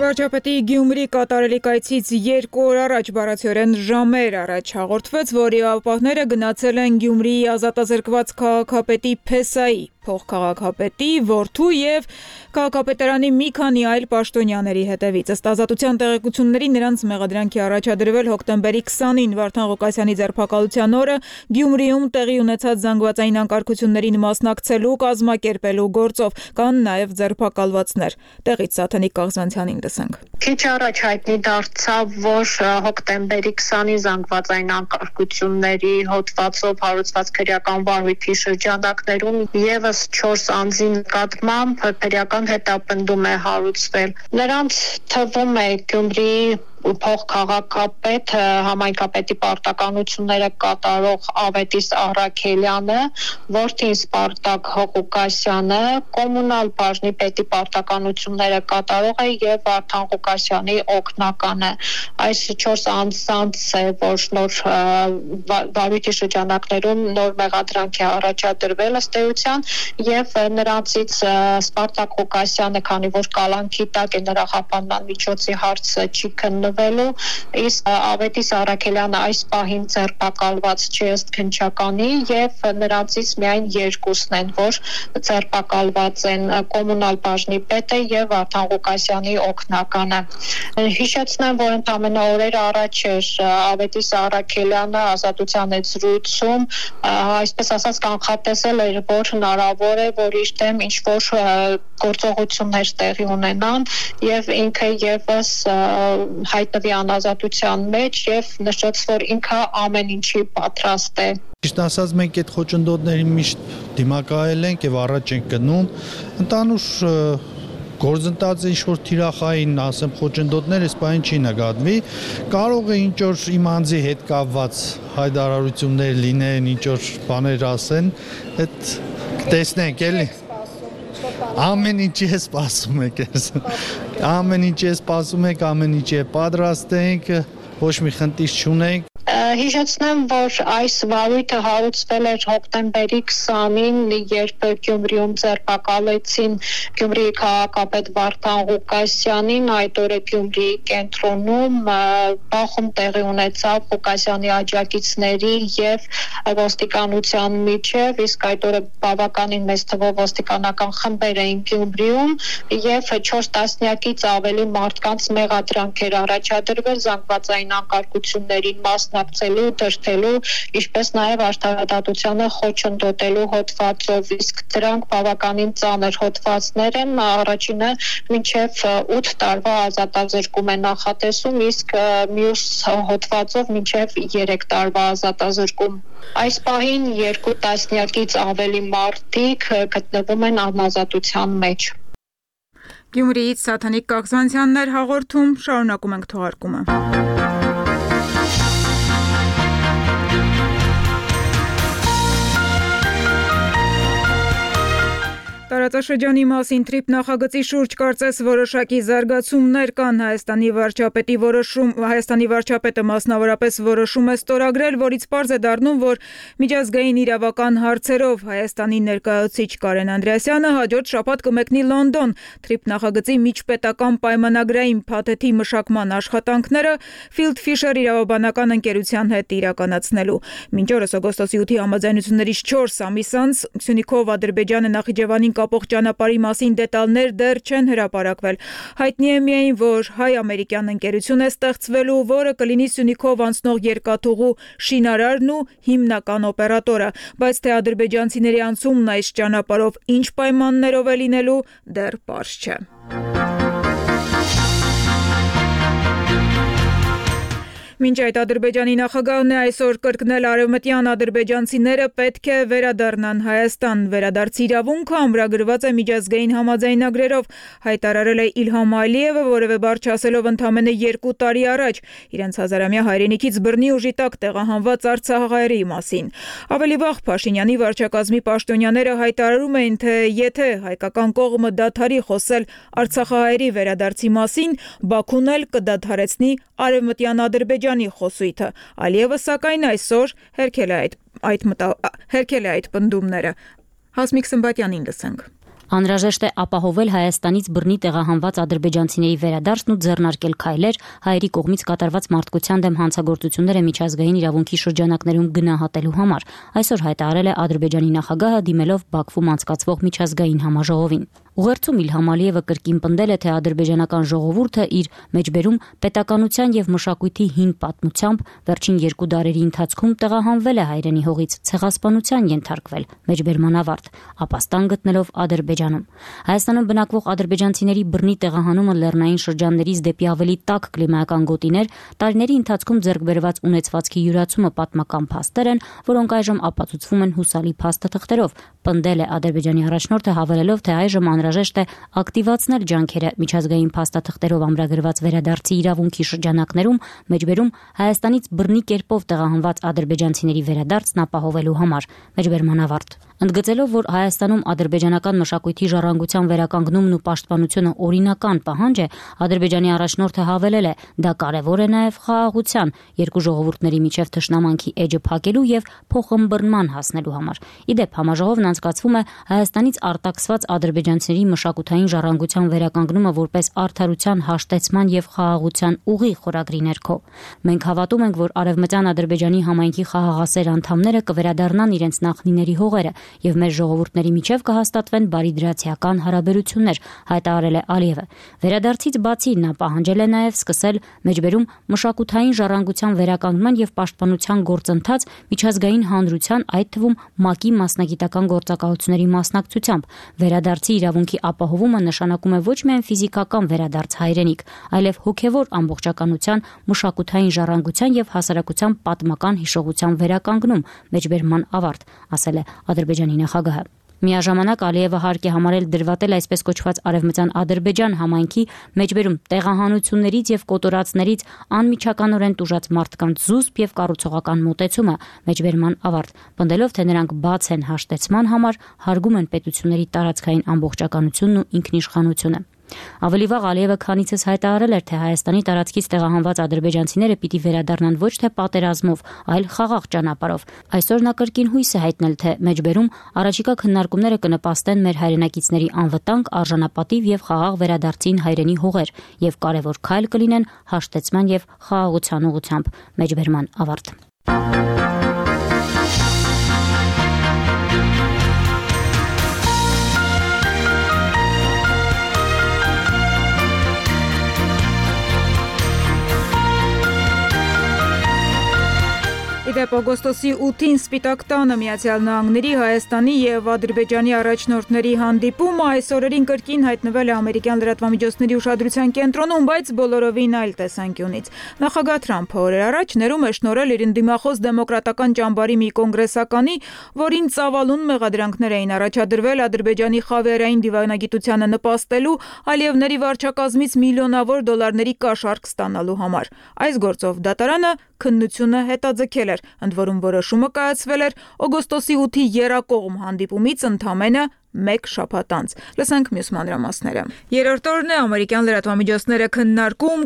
Վարչապետի Գյումրի կատարելիք այցից 2 օր առաջ բառացիորեն ժամեր առաջ հաղորդվեց, որ իրավապահները գնացել են Գյումրիի ազատազրկված քաղաքապետի Փեսայի, փոխքաղաքապետի, որդու եւ քաղաքապետարանի մի քանի այլ պաշտոնյաների հետևից։ Ըստ Ազատության տեղեկությունների նրանց մեղադրանքի առաջադրվել հոկտեմբերի 20-ին Վարդան Ղուկասյանի ձերբակալության օրը Գյումրիում տեղի ունեցած զանգվածային անկարգություններին մասնակցելու, կազմակերպելու գործով, կան նաեւ ձերբակալվածներ։ Տեղից Սաթենիկ Կաղզվանցյանին լսենք։ Քիչ առաջ հայտնի դարձավ, որ հոկտեմբերի 20-ի զանգվածային անկարգությունների հոդվածով հարուցված քրեական վարույթի շրջանակներում եւս 4 անձի նկատմամբ քրեական հետապնդում է հարուցվել։ Նրանց թվում է Գյումրիի փոխքաղաքապետ, համայնքապետի պարտականությունները կատարող Ավետիս Առաքելյանը, որդին Սպարտակ Ղուկասյանը, կոմունալ բաժնի պետի պարտականությունները կատարող է եւ Վարդան Ղուկասյանի օգնականը։ Այս 4 անձանց է, որ նոր վարույթի շրջանակներում նոր մեղադրանք է առաջադրվել ըստ էության եւ նրանցից Սպարտակ Ղուկասյանը, քանի որ կալանքի տակ է, նրա խափանման միջոցի հարցը չի քննվել, իսկ Ավետիս Առաքելյանը այս պահին ձերբակալված չի ըստ քննչականի եւ նրանցից միայն 2-ն են, որ ձերբակալված են կոմունալ բաժնի պետը եւ Վարդան Ղուկասյանի օգնականը։ Հիշեցնեմ, որ ընդամենը օրեր առաջ էր Ավետիս Առաքելյանը Ազատության հետ զրույցում այսպես ասած կանխատեսել էր, որ հնարավոր է, որ իր դեմ ինչ որ գործողություններ տեղի ունենան եւ ինքը եւս հայտնվի անազատության մեջ եւ նշեց, որ ինքը ամեն ինչի պատրաստ է։ Ճիշտ ասած, մենք այդ խոչընդոտներին միշտ դիմակայել ենք եւ առաջ ենք գնում։ Ընդանուր գործընթացը ինչ-որ թիրախային, ասեմ, խոչընդոտներ այս բանը չի նկատվի, կարող է ինչ-որ իմ անձի հետ կապված հայտարարություններ լինեն, ինչ-որ բաներ ասեն, այդ տեսնենք, էլի։ Ամեն ինչի է սպասում եք, ամեն ինչի է սպասում եք, ամեն ինչի է պատրաստ ենք, ոչ մի խնդիր չունենք։ Հիշեցնեմ, որ այս վարույթը հարուցվել էր հոկտեմբերի 20-ին, երբ Գյումրիում ձերբակալեցին Գյումրիի քաղաքապետ Վարդան Ղուկասյանին, այդ օրը Գյումրիի կենտրոնում բախում տեղի ունեցավ Ղուկասյանի աջակիցների եւ ոստիկանության միջև, իսկ այդ օրը բավականին մեծ թվով ոստիկանական խմբեր էին Գյումրիում եւ 4 տասնյակից ավելի մարդկանց մեղադրանք էր առաջադրվել զանգվածային անկարգություններին մասնակցելու, դրդելու, ինչպես նաև արդարադատությանը խոչընդոտելու հոդվածով, իսկ դրանք բավականին ծանր հոդվածներ են, առաջինը մինչև 8 տարվա ազատազրկում է նախատեսում, իսկ մյուս հոդվածով մինչև 3 տարվա ազատազրկում։ Այս պահին 2 տասնյակից ավելի մարդիկ գտնվում են անազատության մեջ։ Գյումրիից Սաթենիկ Կաղզանցյանն էր հաղորդում, շարունակում ենք թողարկումը։ Տարածաշրջանի մասին թրիփ նախագծի շուրջ կարծես որոշակի զարգացումներ կան։ Հայաստանի վարչապետը մասնավորապես որոշում է ստորագրել, որից պարզ է դառնում, որ միջազգային իրավական հարցերով Հայաստանի ներկայացուցիչ Կարեն Անդրեասյանը հաջորդ շաբաթ կմեկնի Լոնդոն թրիփ նախագծի միջպետական պայմանագրային փաթեթի մշակման աշխատանքները Field Fisher իրավաբանական ընկերության հետ իրականացնելու։ Մինչ օրս օգոստոսի 8-ի համաձայնություններից 4 ամիս անց Սյունիքով Ադրբեջանը Նախիջևանին կապող ճանապարհի մասին դետալներ դեռ չեն հրապարակվել։ Հայտնի է միայն, որ հայ-ամերիկյան ընկերություն է ստեղծվելու, որը կլինի Սյունիքով անցնող երկաթուղու շինարարն ու հիմնական օպերատորը, բայց թե ադրբեջանցիների անցումն այս ճանապարհով ինչ պայմաններով է լինելու, դեռ պարզ չէ։ Մինչ այդ Ադրբեջանի նախագահն է այսօր կրկնել արևմտյան ադրբեջանցիները պետք է վերադառնան Հայաստան։ Վերադարձի իրավունքը ամրագրված է միջազգային համաձայնագրերով, հայտարարել է Իլհամ Ալիևը, որևէ բառ չասելով ընդամենը 2 տարի առաջ իրենց հազարամյա հայրենիքից բռնի ուժի տակ տեղահանված արցախահայերի մասին։ Ավելի վաղ Փաշինյանի վարչակազմի պաշտոնյաները հայտարարում էին, թե եթե հայկական կողմը դադարի խոսել արցախահայերի վերադարձի մասին, Բաքուն էլ կդադարեցնի արևմտյան Ադրբեջանի խոսույթը։ Ալիևը սակայն այսօր հերքել է այդ պնդումները։ Հասմիկ Սմբատյանին լսենք։ Անհրաժեշտ է ապահովել Հայաստանից բռնի տեղահանված ադրբեջանցիների վերադարձն ու ձեռնարկել քայլեր հայերի կողմից կատարված մարդկության դեմ հանցագործությունները միջազգային իրավունքի շրջանակներում գնահատելու համար։ Այսօր հայտարարել է Ադրբեջանի նախագահը դիմելով Բաքվում անցկացվող միջազգային համաժողովին։ Ուղերձում Իլհամ Ալիևը կրկին պնդել է, թե ադրբեջանական ժողովուրդը իր մեջբերում պետականության եւ մշակույթի հին պատմությամբ վերջին 2 դարերի ընթացքում տեղահանվել է հայրենի հողից, ցեղասպանության ենթարկվել, մեջբերման ավարտ, ապաստան գտնելով Ադրբեջանում։ Հայաստանում բնակվող ադրբեջանցիների բռնի տեղահանումը լեռնային շրջաններից դեպի ավելի տաք կլիմայական գոտիներ, տարիների ընթացքում ձեռք բերված ունեցվածքի յուրացումը պատմական փաստեր են, որոնք այժմ ապացուցվում են հուսալի փաստաթղթերով, պնդել է Ադրբեջանի առաջնորդը, հավելելով, թե այժմ անհրաժեշտ է ակտիվացնել ջանքերը միջազգային փաստաթղթերով ամրագրված վերադարձի իրավունքի շրջանակներում, մեջբերում Հայաստանից բռնի կերպով տեղահանված ադրբեջանցիների վերադարձն ապահովելու համար, մեջբերման ավարտ։ Ընդգծելով, որ Հայաստանում ադրբեջանական մշակույթի ժառանգության վերականգնումն ու պաշտպանությունը օրինական պահանջ է, Ադրբեջանի առաջնորդը հավելել է, դա կարևոր է նաև խաղաղության, երկու ժողովուրդների միջև թշնամանքի էջը փակելու եւ փոխըմբռնման հասնելու համար։ Իդեպ համաժողովն անցկացվում է Հայաստանից արտաքսված ադրբեջանցիների մշակութային ժառանգության վերականգնումը որպես արդարության հաշտեցման եւ խաղաղության ուղի խորագրի ներքո։ Մենք հավատում ենք, որ արևմտյան Ադրբեջանի համայնքի խաղաղասեր անդամները կվերադառնան իրենց նախնիների հողերը եւ մեր ժողովուրդների միջև կհաստատվեն բարիդրացիական հարաբերություններ, հայտարարել է Ալիևը։ Վերադարձից բացի նա պահանջել է նաեւ սկսել մեջբերում մշակութային ժառանգության վերականգնման եւ պաշտպանության գործընթաց միջազգային հանրության, այդ թվում ՄԱԿ-ի մասնագիտական գործակալությունների մասնակցությամբ։ Վերադարձի իրավունքի ապահովումը նշանակում է ոչ միայն ֆիզիկական վերադարձ հայրենիք, այլև հոգևոր ամբողջականության, մշակութային ժառանգության եւ հասարակության պատմական հիշողության վերականգնում, մեջբերման ավարտ, ասել է Ադրբեջանի նախագահը։ Միաժամանակ Ալիևը հարկ է համարել դրվատել այսպես կոչված արևմտյան Ադրբեջան համայնքի մեջբերում տեղահանություններից եւ կոտորածներից անմիջականորեն տուժած մարդկանց զուսպ եւ կառուցողական մոտեցումը, մեջբերման ավարտ, պնդելով, թե նրանք բաց են հաշտեցման համար, հարգում են պետությունների տարածքային ամբողջականությունն ու ինքնիշխանությունը։ Ավելի վաղ Ալիևը քանիցս հայտարարել էր, թե Հայաստանի տարածքից տեղահանված ադրբեջանցիները պիտի վերադառնան ոչ թե պատերազմով, այլ խաղաղ ճանապարհով։ Այսօր նա կրկին հույս է հայտնել, թե մեջբերում առաջիկա քննարկումները կնպաստեն մեր հայրենակիցների անվտանգ, արժանապատիվ եւ խաղաղ վերադարձին հայրենի հողեր եւ կարեւոր քայլ կլինեն հաշտեցման եւ խաղաղության ուղղությամբ, մեջբերման ավարտ։ Իդեպ օգոստոսի 8-ին Սպիտակ տանը Միացյալ Նահանգների, Հայաստանի եւ Ադրբեջանի առաջնորդների հանդիպումը այս օրերին կրկին հայտնվել է ամերիկյան լրատվամիջոցների ուշադրության կենտրոնում, բայց բոլորովին այլ տեսանկյունից։ Նախագահ Թրամփը օրեր առաջ ներում է շնորհել իր ընդդիմախոս դեմոկրատական ճամբարի մի կոնգրեսականի, որին ծավալուն մեղադրանքներ էին առաջադրվել Ադրբեջանի խավիարային դիվանագիտությանը նպաստելու, Ալիևների վարչակազմից միլիոնավոր դոլարների կաշառք ստանալու համար։ Այս գործով դատարանը քննությունը հետաձգել էր, ընդ որում որոշումը կայացվել էր օգոստոսի 8-ի եռակողմ հանդիպումից ընդամենը 1 շաբաթ անց։ Լսենք մյուս մանրամասները։ Երրորդ օրն է ամերիկյան լրատվամիջոցները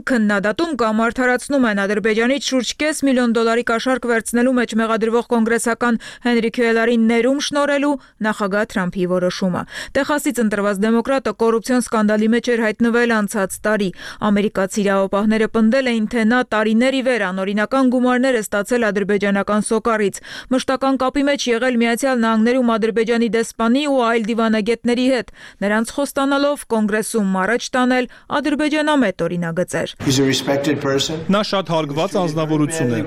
քննադատում կամ արդարացնում են Ադրբեջանից շուրջ $500,000 կաշառք վերցնելու մեջ մեղադրվող կոնգրեսական Հենրի Քյուելարին ներում շնորհելու նախագահ Թրամփի որոշումը։ Տեխասից ընտրված դեմոկրատը կոռուպցիոն սկանդալի մեջ էր հայտնվել անցած տարի։ Ամերիկացի իրավապահները պնդել էին, թե նա տարիներ ի վեր անօրինական գումարներ է ստացել ադրբեջանական սոկառից։ Մշտական կապի մեջ եղել Միացյալ Նահանգներում Ադրբեջանի դեսպանի ու այլ դիվանագետների հետ, նրանց խոստանալով կոնգրեսում առաջ տանել ադրբեջանամետ օրինագծեր։ Նա շատ հարգված անձնավորություն է։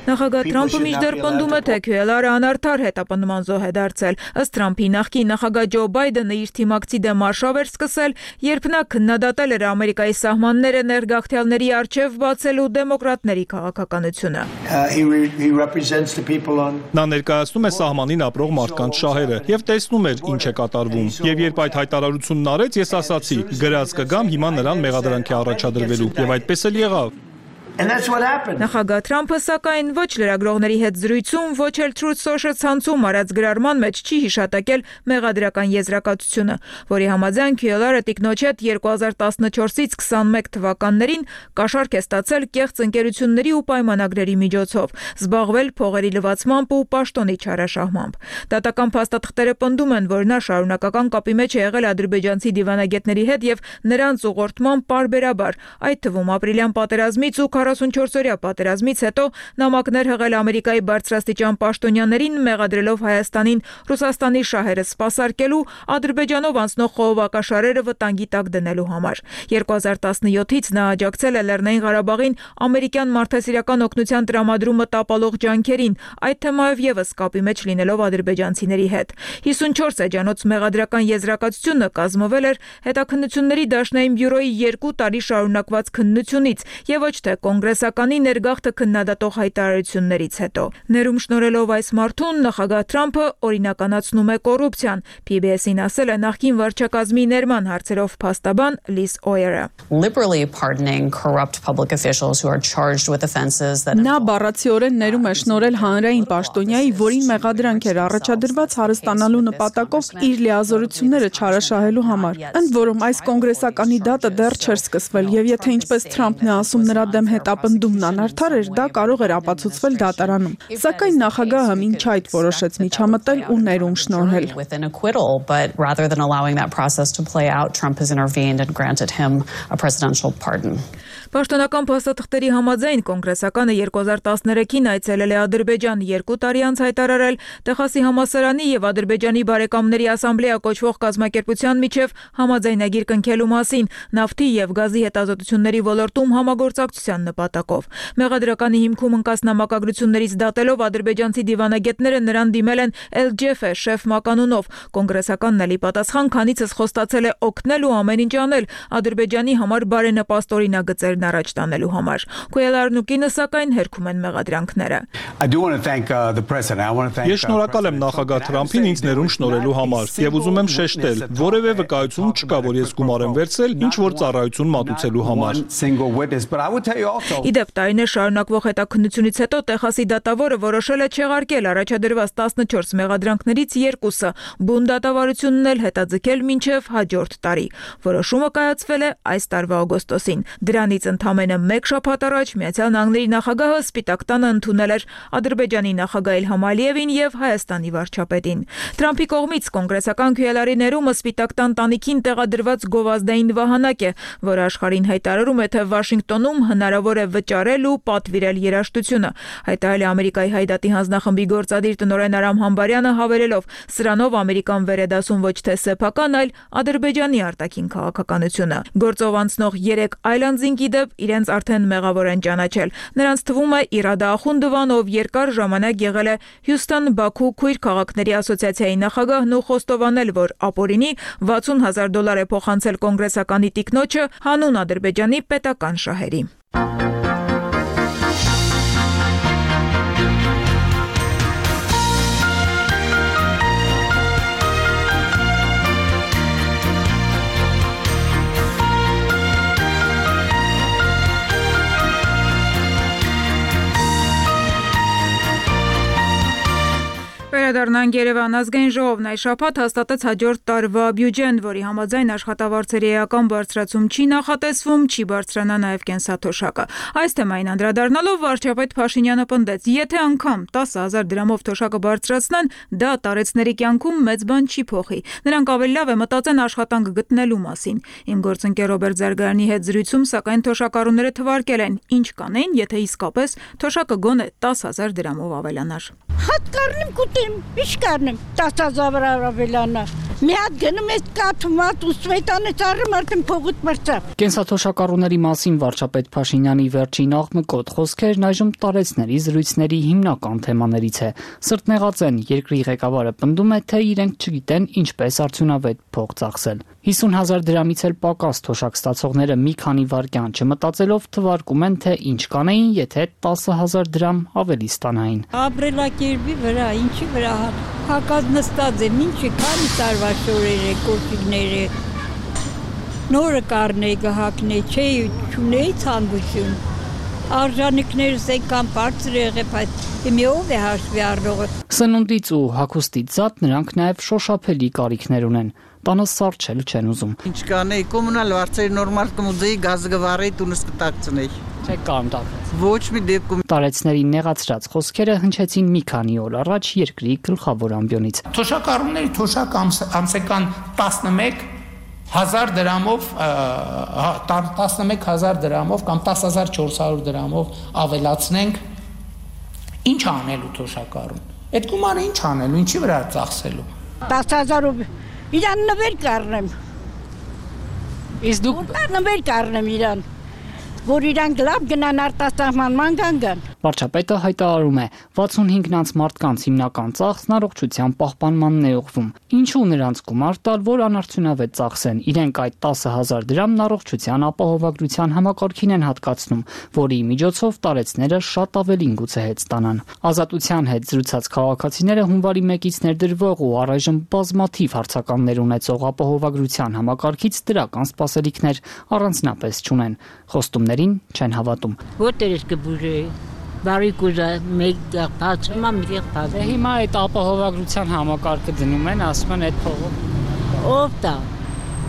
Նախագահ Թրամփը մինչդեռ պնդում է, թե Քյուելարը անարդար հետապնդման զոհ է դարձել։ Ըստ Թրամփի նախկին նախագահ Ջո Բայդենը իր թիմակցի դեմ արշավ էր սկսել, երբ նա քննադատել էր Ամերիկայի սահմանները ներգաղթյալների առջև բացելու դեմոկրատների քաղաքականությունը։ Նա ներկայացնում է սահմանին ապրող մարդկանց շահերը եւ տեսնում էր ինչ է կատարվում։ Եվ երբ այդ հայտարարությունն արեց, ես ասացի՝ գրած կգամ հիմա նրան մեղադրանքի առաջադրվելու, եւ այդպես էլ եղավ։ Նախագահ Թրամփը սակայն ոչ լրագրողների հետ զրույցում, ոչ էլ Truth Social ցանցում արած գրառման մեջ չի հիշատակել մեղադրական եզրակացությունը, որի համաձայն Քյուելարը տիկնոջ հետ 2014-ից 21 թվականներին կաշառք է ստացել կեղծ ընկերությունների ու պայմանագրերի միջոցով, զբաղվել փողերի լվացմամբ ու պաշտոնի չարաշահմամբ։ Դատական փաստաթղթերը պնդում են, որ նա շարունակական կապի մեջ է եղել ադրբեջանցի դիվանագետների հետ եւ նրանց ուղղորդման պարբերաբար, այդ թվում ապրիլյան պատերազմից ու 44-օրյա պատերազմից հետո նամակներ հղել Ամերիկայի բարձրաստիճան պաշտոնյաներին, մեղադրելով Հայաստանին Ռուսաստանի շահերը սպասարկելու, Ադրբեջանով անցնող խողովակաշարերը վտանգի տակ դնելու համար։ 2017-ից նա աջակցել է Լեռնային Ղարաբաղին ամերիկյան մարդասիրական օգնության տրամադրումը տապալող ջանքերին, այդ թեմայով եւս կապի մեջ լինելով ադրբեջանցիների հետ։ 54 էջանոց մեղադրական եզրակացությունը կազմվել էր հետաքննությունների դաշնային բյուրոյի 2 տարի շարունակված քննությունից եւ ոչ թե կոնգրեսականի ներգաղթը քննադատող հայտարարություններից հետո։ Ներում շնորհելով այս մարդուն նախագահ Թրամփը օրինականացնում է կոռուպցիան, PBS-ին ասել է նախկին վարչակազմի ներման հարցերով փաստաբան Լիզ Օյերը։ Նա բառացիորեն ներում է շնորհել հանրային պաշտոնյայի, որին մեղադրանք էր առաջադրված հարստանալու նպատակով իր լիազորությունները չարաշահելու համար։ Ընդ որում այս կոնգրեսականի դատը դեռ չէր սկսվել եւ եթե ինչպես Թրամփն է ասում նրա դեմ հետապնդումն անարդար էր, դա կարող էր ապացուցվել դատարանում։ Սակայն նախագահը մինչ այդ որոշեց միջամտել ու ներում շնորհել։ Պաշտոնական փաստաթղթերի համաձայն կոնգրեսականը 2013-ին այցելել է Ադրբեջան, 2 տարի անց հայտարարել Տեխասի համալսարանի եւ Ադրբեջանի բարեկամների ասամբլեա կոչվող կազմակերպության միջև համաձայնագիր կնքելու մասին նավթի եւ գազի հետազոտությունների ոլորտում համագործակցության նպատակով։ Մեղադրականի հիմքում ընկած նամակագրություններից դատելով ադրբեջանցի դիվանագետները նրան դիմել են El-Jefe շեֆ մականունով։ Կոնգրեսականն էլի պատասխան, քանիցս խոստացել է օգնել ու ամեն ինչ անել Ադրբեջանի համար բարենպաստ օրինագծեր առաջ տանելու համար։ Քյուելարն ու կինը սակայն հերքում են մեղադրանքները։ Ես շնորհակալ եմ նախագահ Թրամփին ինձ ներում շնորհելու համար եւ ուզում եմ շեշտել, որևէ վկայություն չկա, որ ես գումար եմ վերցրել ինչ որ ծառայություն մատուցելու համար։ Իդեպ տարիներ շարունակվող հետաքննությունից հետո Տեխասի դատավորը որոշել է չեղարկել առաջադրված 14 մեղադրանքներից 2-ը, բուն դատավարությունն էլ հետաձգել մինչև հաջորդ տարի։ Որոշումը կայացվել է այս տարվա օգոստոսին։ Դրանից ընդամենը 1 շաբաթ առաջ Միացյալ Նահանգների նախագահը Սպիտակ տանը ընդունել էր Ադրբեջանի նախագահ Իլհամ Ալիևին եւ Հայաստանի վարչապետին։ Թրամփի կողմից կոնգրեսական Քյուելարի ներումը Սպիտակ տան տանիքին տեղադրված գովազդային վահանակ է, որը աշխարհին հայտարարում է, թե Վաշինգտոնում հնարավոր է վճարել ու պատվիրել երաժշտությունը։ Հայտարարել է Ամերիկայի Հայդատի հանձնախմբի գործադիր տնօրեն Արամ Համբարյանը, հավելելով. «Սրանով Ամերիկան վեր է դասում ոչ թե սեփական, այլ Ադրբեջանի արտաքին քաղաքականությունը»։ Գործով անցնող 3 այլ անձինք իդեպ իրենց արդեն մեղավոր են ճանաչել։ Նրանց թվում է Իրադա Ախունդովան, ով երկար ժամանակ եղել է Հյուսթոն-Բաքու քույր քաղաքների ասոցիացիայի նախագահն ու խոստովանել, որ ապօրինի $60,000 է փոխանցել կոնգրեսականի տիկնոջը հանուն Ադրբեջանի պետական շահերի։ Վերադառնանք Երևան. ազգային ժողովն այս շաբաթ հաստատեց հաջորդ տարվա բյուջեն, որի համաձայն աշխատավարձերի էական բարձրացում չի նախատեսվում, չի բարձրանա նաև կենսաթոշակը։ Այս թեմային անդրադառնալով վարչապետ Փաշինյանը պնդեց, եթե անգամ 10,000 դրամով թոշակը բարձրացնեն, դա տարեցների կյանքում մեծ բան չի փոխի։ Նրանք ավելի լավ է մտածեն աշխատանք գտնելու մասին։ Իմ գործընկեր Ռոբերտ Զարգարյանի հետ զրույցում սակայն թոշակառուները թվարկել են, ինչ կանեին, եթե իսկապես թոշակը գոնե 10,000 դրամով ավելանար։ Հատ կառնեմ կուտեմ, ինչ կառնեմ, 10,000 ավելանա։ Մի հատ գնում ես կաթմատ ու սվետանից առեմ արդեն փողոց մրցավ։ Կենսաթոշակառուների մասին վարչապետ Փաշինյանի վերջին աղմկոտ խոսքերն այժմ տարեցների զրույցների հիմնական թեմաներից է։ Սրտնեղած են, երկրի ղեկավարը պնդում է, թե իրենք չգիտեն ինչպես արդյունավետ փող ծախսել։ 50,000 դրամից էլ պակաս թոշակ ստացողները մի քանի վայրկյան չմտածելով թվարկում են, թե ինչ կանեին, եթե 10,000 դրամ ավելի ստանային։ Ապրելակերպի վրա, ինչի վրա հակած նստած եմ, ինչի քանի տարվա շորերը, կոշիկները, նորը կառնեի գահակնեի, չունեի ցանկություն։ Արժանիքներս այնքան բարձր եղել, բայց մի ով է հաշվի առնողը։ Սնունդից ու հագուստից զատ նրանք նաև շոշափելի կարիքներ ունեն։ Տանը սարչել չեն ուզում։ Ինչ կանեի, կոմունալ վարձերի նորմալ կմուզեի, գազը գվառեի, տունս կտակցնեի։ Չեք կանտակ։ Ոչ մի դեպքում։ Տարեցների նեղացրած խոսքերը հնչեցին մի քանի օր առաջ երկրի գլխավոր ամբիոնից։ Թոշակառուների թոշակ ամսական 11,000 դրամով 11,000 դրամով կամ 10,400 դրամով ավելացնենք, ինչ անելու թոշակառուն։ Այդ գումարը ինչ անելու, ինչի վրա ծախսելու։ 10,000-ով իրան նվեր կառնեմ։ Իսկ դուք նվեր կառնեմ իրան, որ իրանք լավ գնան արտասահմանման գան։ Վարչապետը հայտարարում է, 65-նանց մարդկանց հիմնական ծախսն առողջության պահպանմանն է ուղղվում։ Ինչու նրանց գումար տալ, որ անարդյունավետ ծախսեն։ Իրենք այդ 10,000 դրամն առողջության ապահովագրության համակարգին են հատկացնում, որի միջոցով տարեցները շատ ավելին գուցե հետ ստանան։ Ազատության հետ զրուցած քաղաքացիները հունվարի 1-ից ներդրվող ու առայժմ բազմաթիվ հարցականներ ունեցող ապահովագրության համակարգից դրական սպասելիքներ առանձնապես չունեն։ Խոստումներին չեն հավատում։ Որտեղ է կբուժե։ Բարիկուզա մեկ գաղթացումա մի գաղթաց։ Հիմա այդ ապահովագրության համակարգը դնում են, ասում են այդ փողով։ Ով տա։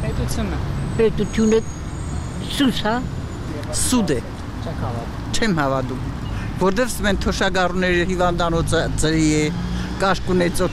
Պետությունը։ Պետությունը սուսա։ Սուդ է։ Չեմ հավատում։ Որտեղ մեն թոշակառուների հիվանդանոցը ծրի է, կաշկունեցո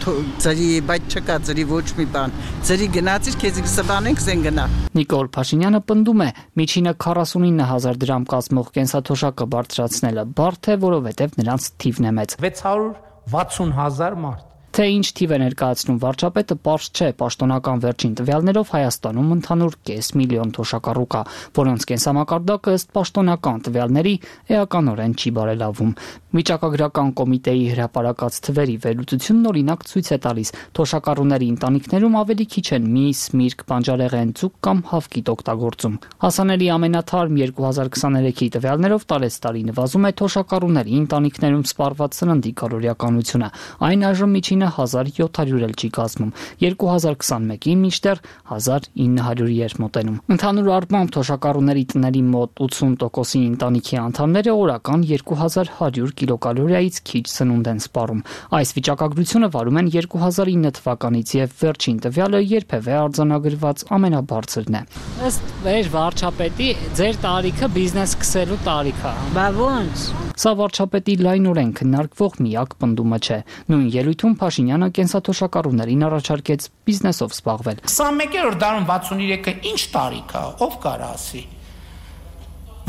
ծրի է, բայց չկա ծրի ոչ մի բան։ Ծրի գնացիր, քեզ կսվանենք, զեն գնա։ Նիկոլ Փաշինյանը պնդում է, միջինը 49,000 դրամ կազմող կենսաթոշակը բարձրացնելը բարդ է, որովհետև նրանց թիվն է մեծ։ 660,000 մարդ։ Թե ինչ թիվ է ներկայացնում վարչապետը, պարզ չէ։ Պաշտոնական վերջին տվյալներով Հայաստանում ընդհանուր 500,000 թոշակառու կա, որոնց կենսամակարդակը ըստ պաշտոնական տվյալների էականորեն չի բարելավում։ Վիճակագրական կոմիտեի հրապարակած թվերի վերլուծությունն օրինակ ցույց է տալիս, թոշակառուների ընտանիքներում ավելի քիչ են միս, միրգ, բանջարեղեն, ձուկ կամ հավկիտ օգտագործում։ Հասանելի ամենաթարմ 2023-ի տվյալներով տարեցտարի նվազում է թոշակառուների ընտանիքներում սպառված սննդի կալորիականությունը։ Այն այժմ միջինը 1,700 էլ չի կազմում, 2021-ին մինչդեռ 1,900-ի էր մոտենում։ Ընդհանուր առմամբ թոշակառուների տների մոտ 80%-ի ընտանիքի անդամները օրական 2,100 կիլոկալորիայից քիչ սնունդ են սպառում։ Այս վիճակագրությունը վարում են 2009 թվականից եւ վերջին տվյալը երբևէ արձանագրված ամենաբարձրն է։ Ըստ մեր վարչապետի ձեր տարիքը բիզնես սկսելու տարիք է։ Բա ոնց։ Սա վարչապետի լայնորեն քննարկվող միակ պնդումը չէ։ Նույն ելույթում Փաշինյանը կենսաթոշակառուներին առաջարկեց բիզնեսով զբաղվել։ 21-րդ դարում 63-ը ինչ տարիք է, ով կարա ասի։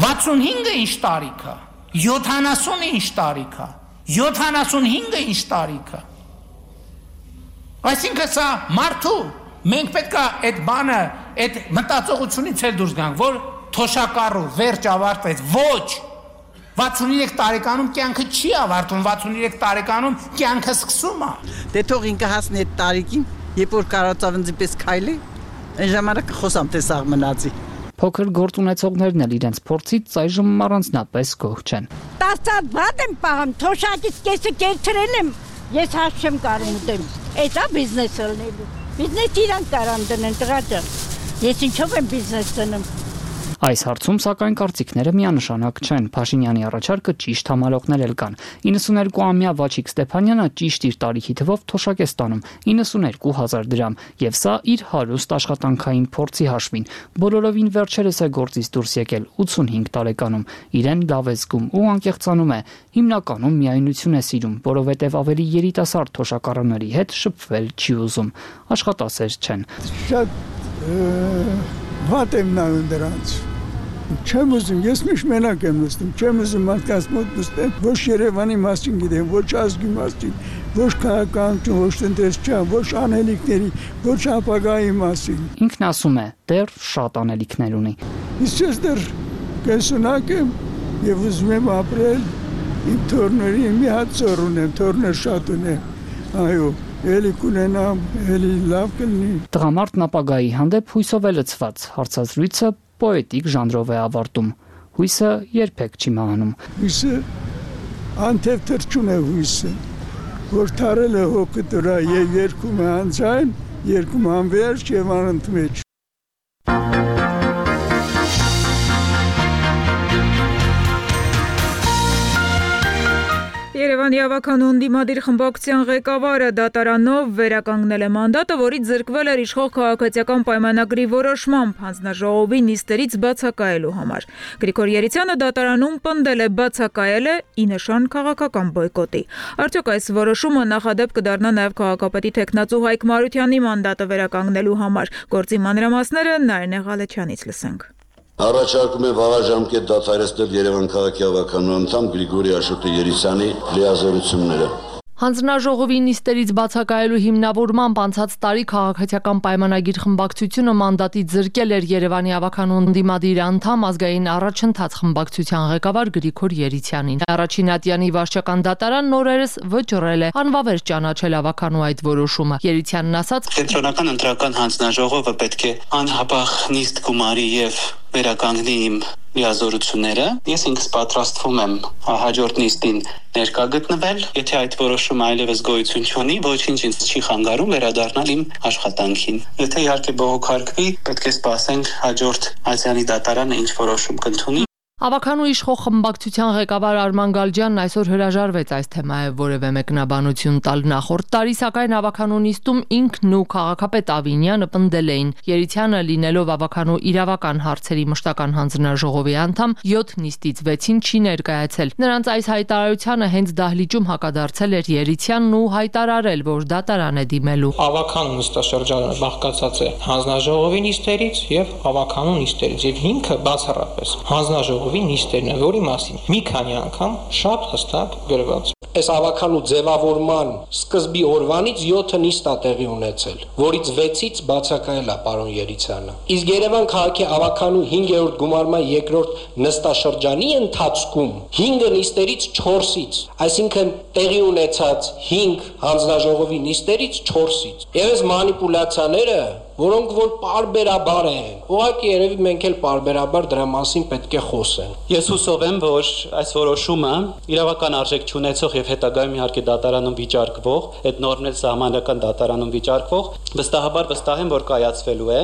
65-ը ինչ տարիք է, 70-ը ինչ տարիք է, 75-ը ինչ տարիք է։ Այսինքն սա մարդու, մենք պետք է այդ բանը, այդ մտածողությունից էլ դուրս գանք, որ թոշակառու վերջ ավարտեց, ոչ 63 տարեկանում կյանքը չի ավարտում, 63 տարեկանում կյանքը սկսում է։ Դե թող ինքը հասնի այդ տարիքին, երբ որ կարողացավ ինձ պես քայլի, այն ժամանակ խոսամ թե սաղ մնացի։ Փոքր գործ ունեցողներն էլ իրենց փորձից այժմ առանձնապես գոհ չեն։ 10 բադ եմ պահում, թոշակից կեսը կերցրել եմ, ես հաշ չեմ կարող ուտեմ։ Էդա բիզնեսը լինելու։ Բիզնես իրանք կարան դնեն, տղա ջան։ Ես ինչով եմ բիզնես դնում։ Այս հարցում սակայն կարծիքները միանշանակ չեն։ Փաշինյանի առաջարկը ճիշտ համարողներ էլ կան։ 92-ամյա Վաչիկ Ստեփանյանը ճիշտ իր տարիքի թվով թոշակ է ստանում 92,000 դրամ, եւ սա իր հարուստ աշխատանքային փորձի հաշվին։ Բոլորովին վերջերս է գործից դուրս եկել 85 տարեկանում։ Իրեն լավ է զգում ու անկեղծանում է։ Հիմնականում միայնություն է սիրում, որովհետեւ ավելի երիտասարդ թոշակառուների հետ շփվել չի ուզում։ Աշխատասեր չեն։ Շատ վատ եմ նայում դրանց։ Չեմ ուզում, ես միշտ մենակ եմ նստում, չեմ ուզում մարդկանց մոտ նստեմ, ոչ Երևանի մասին գիտեմ, ոչ ազգի մասին, ոչ քաղաքականություն, ոչ տնտեսչական, ոչ անելիքների, ոչ ապագայի մասին։ Ինքն ասում է, դեռ շատ անելիքներ ունի։ Իսկ ես դեռ կենսունակ եմ եւ ուզում եմ ապրել իմ թորների մի հատ ծոր ունեմ, թորներ շատ ունեմ, այո, էլի կունենամ, էլի լավ կլինի։ Տղամարդն ապագայի հանդեպ հույսով է լցված, հարցազրույցը պոետիկ ժանրով է ավարտում։ Հույսը երբեք չի մահանում։ Հույսը անթև թրջուն է հույսը, որ թարել է հոգը դրա եւ երկում է անձայն, երկում անվերջ եւ անընդմեջ։ Երևանի ավականուն դիմադիր խմբակցության ղեկավարը դատարանով վերականգնել է մանդատը, որից զրկվել էր իշխող քաղաքացիական պայմանագրի որոշմամբ հանձնաժողովի նիստերից բացակայելու համար։ Գրիգոր Երիցյանը դատարանում պնդել է բացակայել է ի նշան քաղաքական բոյկոտի։ Արդյոք այս որոշումը նախադեպ կդառնա նաև քաղաքապետի թեկնածու Հայկ Մարությանի մանդատը վերականգնելու համար։ Գործի մանրամասները Նարինե Ղալեչյանից լսենք։ Առաջարկում է վաղաժամկետ դադարեցնել Երևան քաղաքի ավականու անդամ Գրիգորի Աշոտի Երիցյանի լիազորությունները։ Հանձնաժողովի նիստերից բացակայելու հիմնավորմամբ անցած տարի քաղաքացիական պայմանագիր խմբակցությունը մանդատից զրկել էր Երևանի ավականուն դիմադիր անդամ ազգային առաջընթաց խմբակցության ղեկավար Գրիգոր Երիցյանին։ Առաջին ատյանի վարչական դատարանն օրերս վճռել է անվավեր ճանաչել ավականու այդ որոշումը։ Երիցյանն ասաց. Կենտրոնական ընտրական հանձնաժողովը պետք է անհապաղ նիստ գումարի եւ վերականգնի իմ լիազորությունները։ Ես ինքս պատրաստվում եմ հաջորդ նիստին ներկա գտնվել, եթե այդ որոշումը այլևս գոյություն չունի, ոչինչ ինձ չի խանգարում վերադառնալ իմ աշխատանքին։ Եթե իհարկե բողոքարկվի, պետք է սպասենք հաջորդ ատյանի դատարանը ինչ որոշում կընդունի։ Ավականու իշխող խմբակցության ղեկավար Արման Գալջյանն այսօր հրաժարվեց այս թեմայով որևէ մեկնաբանություն տալ։ Նախորդ տարի սակայն ավականու նիստում ինքն ու քաղաքապետ Ավինյանը պնդել էին, Երիցյանը լինելով ավականու իրավական հարցերի մշտական հանձնաժողովի անդամ 7 նիստից 6-ին չի ներկայացել։ Նրանց այս հայտարարությանը հենց դահլիճում հակադարձել էր Երիցյանն ու հայտարարել, որ դատարան է դիմելու։ Ավականու նստաշրջանը բաղկացած է հանձնաժողովի նիստերից եւ ավականու նիստերից եւ հիմքը բացառապես հանձնաժողովի նիստերն է, որի մասին մի քանի անգամ շատ հստակ գրված։ Այս ավականու ձևավորման սկզբի օրվանից 7 նիստ է տեղի ունեցել, որից 6-ից բացակայել է պարոն Երիցյանը։ Իսկ Երևան քաղաքի ավականու 5-րդ գումարման 2-րդ նստաշրջանի ընթացքում 5 նիստերից 4-ից, այսինքն տեղի ունեցած 5 հանձնաժողովի նիստերից 4-ից։ Եվ այս մանիպուլյացիաները, որոնք որ պարբերաբար են, ուղղակի երևի մենք էլ պարբերաբար դրա մասին պետք է խոսենք։ Ես հուսով եմ, որ այս որոշումը իրավական արժեք չունեցող եւ հետագայում իհարկե դատարանում վիճարկվող, այդ նորմն էլ սահմանական դատարանում վիճարկվող, վստահաբար վստահ եմ, որ կայացվելու է։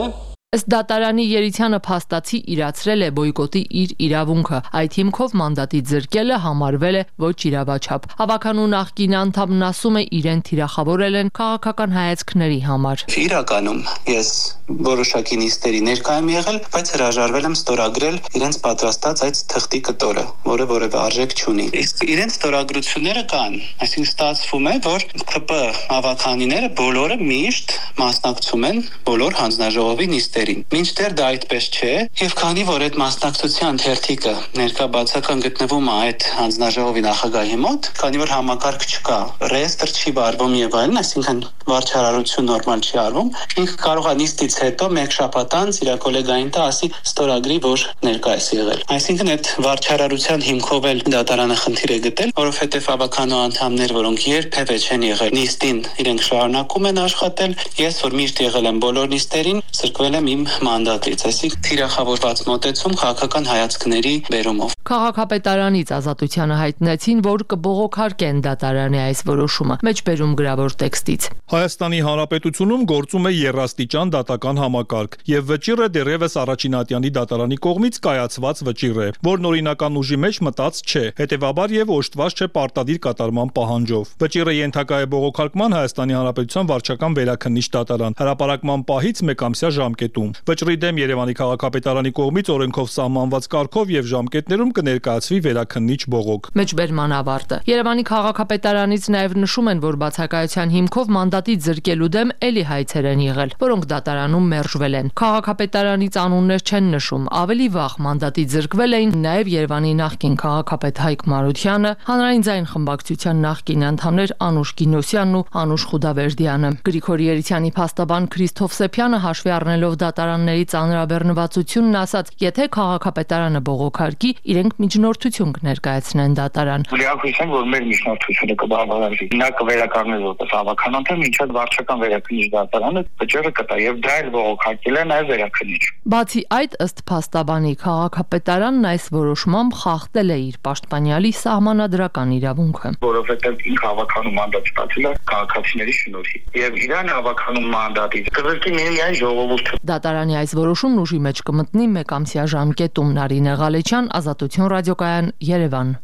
Ըստ դատարանի Երիցյանը փաստացի իրացրել է բոյկոտի իր իրավունքը։ Այդ հիմքով մանդատից զրկելը համարվել է ոչ իրավաչափ։ Ավականու նախկին անդամն ասում է, իրեն թիրախավորել են քաղաքական հայացքների համար։ Իրականում ես որոշակի նիստերի ներկա եմ եղել, բայց հրաժարվել եմ ստորագրել իրենց պատրաստած այդ թղթի կտորը, որը որևէ արժեք չունի։ Իսկ իրենց ստորագրությունները կան, այսինքն ստացվում է, որ ԿՊ ավականիները բոլորը միշտ մասնակցում են բոլոր հանձնաժողովի նիստերին։ Մինչդեռ դա այդպես չէ, եւ քանի որ այդ մասնակցության թերթիկը ներկա բացական գտնվում է այդ հանձնաժողովի նախագահի մոտ, քանի որ համակարգ չկա, ռեեստրը չի վարվում եւ այլն, այսինքն վարչարարություն նորմալ չի արվում, ինքը կարող է նիստից հետո մեկ շաբաթ անց իր գոլեգային տա ասի ստորագրի, որ ներկա է եղել։ Այսինքն այդ վարչարարության հիմքով էլ դատարանը խնդիր է գտել, որովհետեւ ավականու անդամներ, որոնք երբևէ չեն եղել նիստին, իրենք շարունակում են աշխատել։ Ես որ միշտ եղել եմ բոլոր նիստերին, զրկվել եմ իմ մանդատից, այսինքն թիրախավորված մոտեցում քաղաքական հայացքների բերումով։ Քաղաքապետարանից Ազատությանը հայտնեցին, որ կբողոքարկեն դատարանի այս որոշումը, մեջբերում գրավոր տեքստից։ Հայաստանի Հանրապետությունում գործում է երաստիճան դատական համակարգ, եւ վճիռը դեռևս Առաջինատյանի դատարանի կողմից կայացված վճիռ է, որն օրինական ուժի մեջ մտած չէ, հետեւաբար եւ օժտված չէ պարտադիր կատարման պահանջով։ Վճիռը ենթակա է բողոքարկման Հայաստանի Հանրապետության վարչական վերաքննիչ դատարան հրապարակման պահից մեկամսյա ժամկետում։ Վճռի դեմ Երևանի քաղաքապետարանի կողմից օրենքով սահմանված կարգով եւ ժամկետներում կներկայացվի վերաքննիչ բողոք։ Մեջբերման ավարտը։ Երևանի քաղաքապետարանից նաև նշում են, որ բացակայության հիմքով մանդատից զրկելու դեմ էլի հայցեր են եղել, որոնք դատարանում մերժվել են։ Քաղաքապետարանից անուններ չեն նշում, ավելի վաղ մանդատից զրկվել էին նաև Երևանի նախկին քաղաքապետ Հայկ Մարությանը, Հանրային ձայն խմբակցության նախկին անդամներ Անուշ Գինոսյանն ու Անուշ Խուդավերդյանը։ Գրիգորի Երիցյանի փաստաբան Քրիստոֆ Սեփյանը հաշվի առնելով դատարանների ծանրաբեռնվածությունն ասաց, եթե քաղաքապետարանը բողոքարկի, իրենք միջնորդություն կներկայացնեն դատարան։ Լիակույս են, որ մեր միջնորդությունը կբավարարվի։ Նա կվերականգնի որպես հավաքական անդամ, մինչև վարչական վերաքննիչ դատարանը վճիռը կտա եւ դա էլ բողոքարկել է նաեւ վերաքննիչ։ Բացի այդ, ըստ փաստաբանի, քաղաքապետարանն այս որոշմամբ խախտել է իր պաշտպանյալի սահմանադրական իրավունքը, որովհետեւ ինքը հավաքանում մանդատ ստացել է քաղաքացիների շնորհիվ եւ իրան հավաքանում մանդատից կզրկի միայն ժողովուրդը։ Դատարանի այս որոշումն ուժի մեջ կմտնի մեկամսյա ժամկետում։ Նարինե Ղալեչյան, Ազատություն ռադիոկայան, Երևան։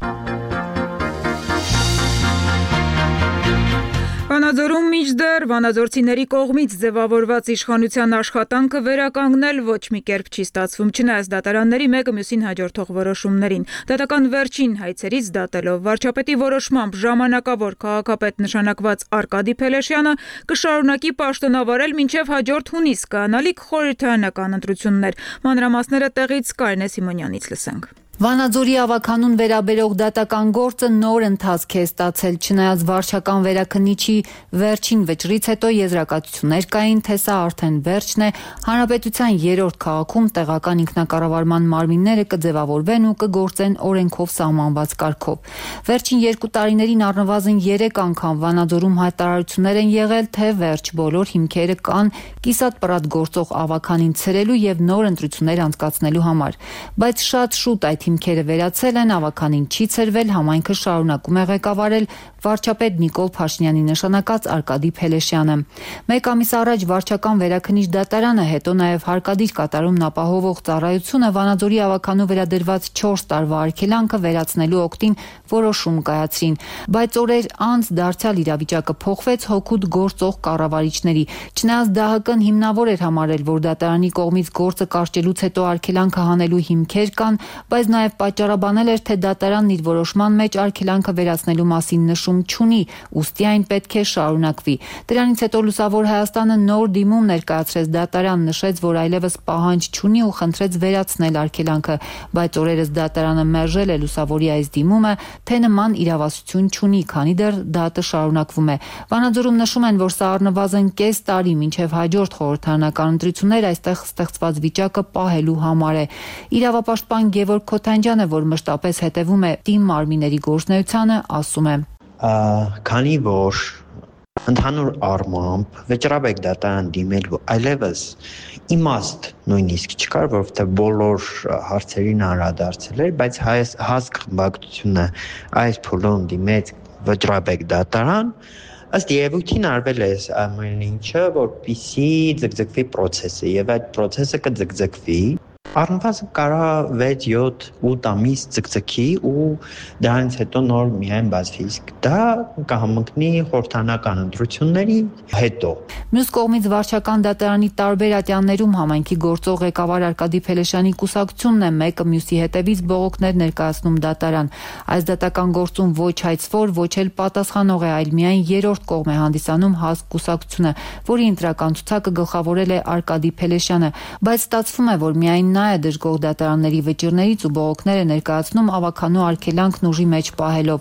Վանաձորում մինչդեռ վանաձորցիների կողմից ձևավորված իշխանության աշխատանքը վերականգնել ոչ մի կերպ չի ստացվում, չնայած դատարանների մեկը մյուսին հաջորդող որոշումներին։ Դատական վերջին հայցերից դատելով վարչապետի որոշմամբ ժամանակավոր քաղաքապետ նշանակված Արկադի Փելեշյանը կշարունակի պաշտոնավարել մինչև հաջորդ հունիս կայանալիք խորհրդարանական ընտրություններ։ Մանրամասները տեղից Կարինե Սիմոնյանից լսենք։ Վանաձորի ավականուն վերաբերող դատական գործը նոր ընթացք է ստացել, չնայած վարչական վերաքննիչի վերջին վճռից հետո եզրակացություններ կային, թե սա արդեն վերջն է, հանրապետության 3-րդ քաղաքում տեղական ինքնակառավարման մարմինները կձևավորվեն ու կգործեն օրենքով սահմանված կարգով։ Վերջին 2 տարիներին առնվազն 3 անգամ Վանաձորում հայտարարություններ են եղել, թե վերջ բոլոր հիմքերը կան կիսատ պռատ գործող ավականին ցրելու եւ նոր ընտրություններ անցկացնելու համար, բայց շատ շուտ այդ հիմքերը վերացել են, ավականին չի ցրվել, համայնքը շարունակում է ղեկավարել վարչապետ Նիկոլ Փաշինյանի նշանակած Արկադի Փելեշյանը։ Մեկ ամիս առաջ վարչական վերաքննիչ դատարանը, հետո նաև հարկադիր կատարումն ապահովող ծառայությունը Վանաձորի ավականու վերադրված 4 տարվա արգելանքը վերացնելու օգտին որոշում կայացրին, բայց օրեր անց դարձյալ իրավիճակը փոխվեց հօգուտ գործող կառավարիչների։ Չնայած ԴՀԿ-ն հիմնավոր էր համարել, որ դատարանի կողմից գործը կարճելուց հետո արգելանքը հանելու հիմքեր կան, բայց նաև պատճառաբանել էր, թե դատարանն իր որոշման մեջ արգելանքը վերացնելու մասին նշում չունի, ուստի այն պետք է շարունակվի։ Դրանից հետո Լուսավոր Հայաստանը նոր դիմում ներկայացրեց դատարան, նշեց, որ այլևս պահանջ չունի ու խնդրեց վերացնել արգելանքը, բայց օրերս դատարանը մերժել է Լուսավորի այս դիմումը, թե նման իրավասություն չունի, քանի դեռ դատը շարունակվում է։ Վանաձորում նշում են, որ սա առնվազն կես տարի մինչև հաջորդ խորհրդարանական ընտրություններ այստեղ ստեղծված վիճակը պահելու համար է։ Իրավապաշտպան Գևորգ Քոթանջյանը, որ մշտապես հետևում է թիմ մարմինների գործունեությանը, ասում է. Քանի որ ընդհանուր առմամբ վճռաբեկ դատարան դիմելու այլևս իմաստ նույնիսկ չկար, որովհետև բոլոր հարցերին անդրադարձել էր, բայց հասկ խմբակցությունը այս փուլում դիմեց վճռաբեկ դատարան, ըստ երևույթին արվել է ամեն ինչը, որպեսզի ձգձգվի process-ը, եւ այդ process-ը կձգձգվի առնվազն կարա 6-7-8 ամիս ձգձգի ու դրանից հետո նոր միայն բացվի, իսկ դա կհամընկնի խորհրդարանական ընտրությունների հետո։ Մյուս կողմից վարչական դատարանի տարբեր ատյաններում համայնքի գործող ղեկավար Արկադի Փելեշյանի կուսակցությունն է մեկը մյուսի հետևից բողոքներ ներկայացնում դատարան։ Այս դատական գործում ոչ հայցվոր, ոչ էլ պատասխանող է, այլ միայն 3-րդ կողմ է հանդիսանում ՀԱՍԿ կուսակցությունը, որի ընտրական ցուցակը գլխավորել է Արկադի Փելեշյանը, բայց ստացվում է, որ միայն նա է դժգոհ դատարանների վճիռներից ու բողոքներ է ներկայացնում ավականու արգելանքն ուժի մեջ պահելով։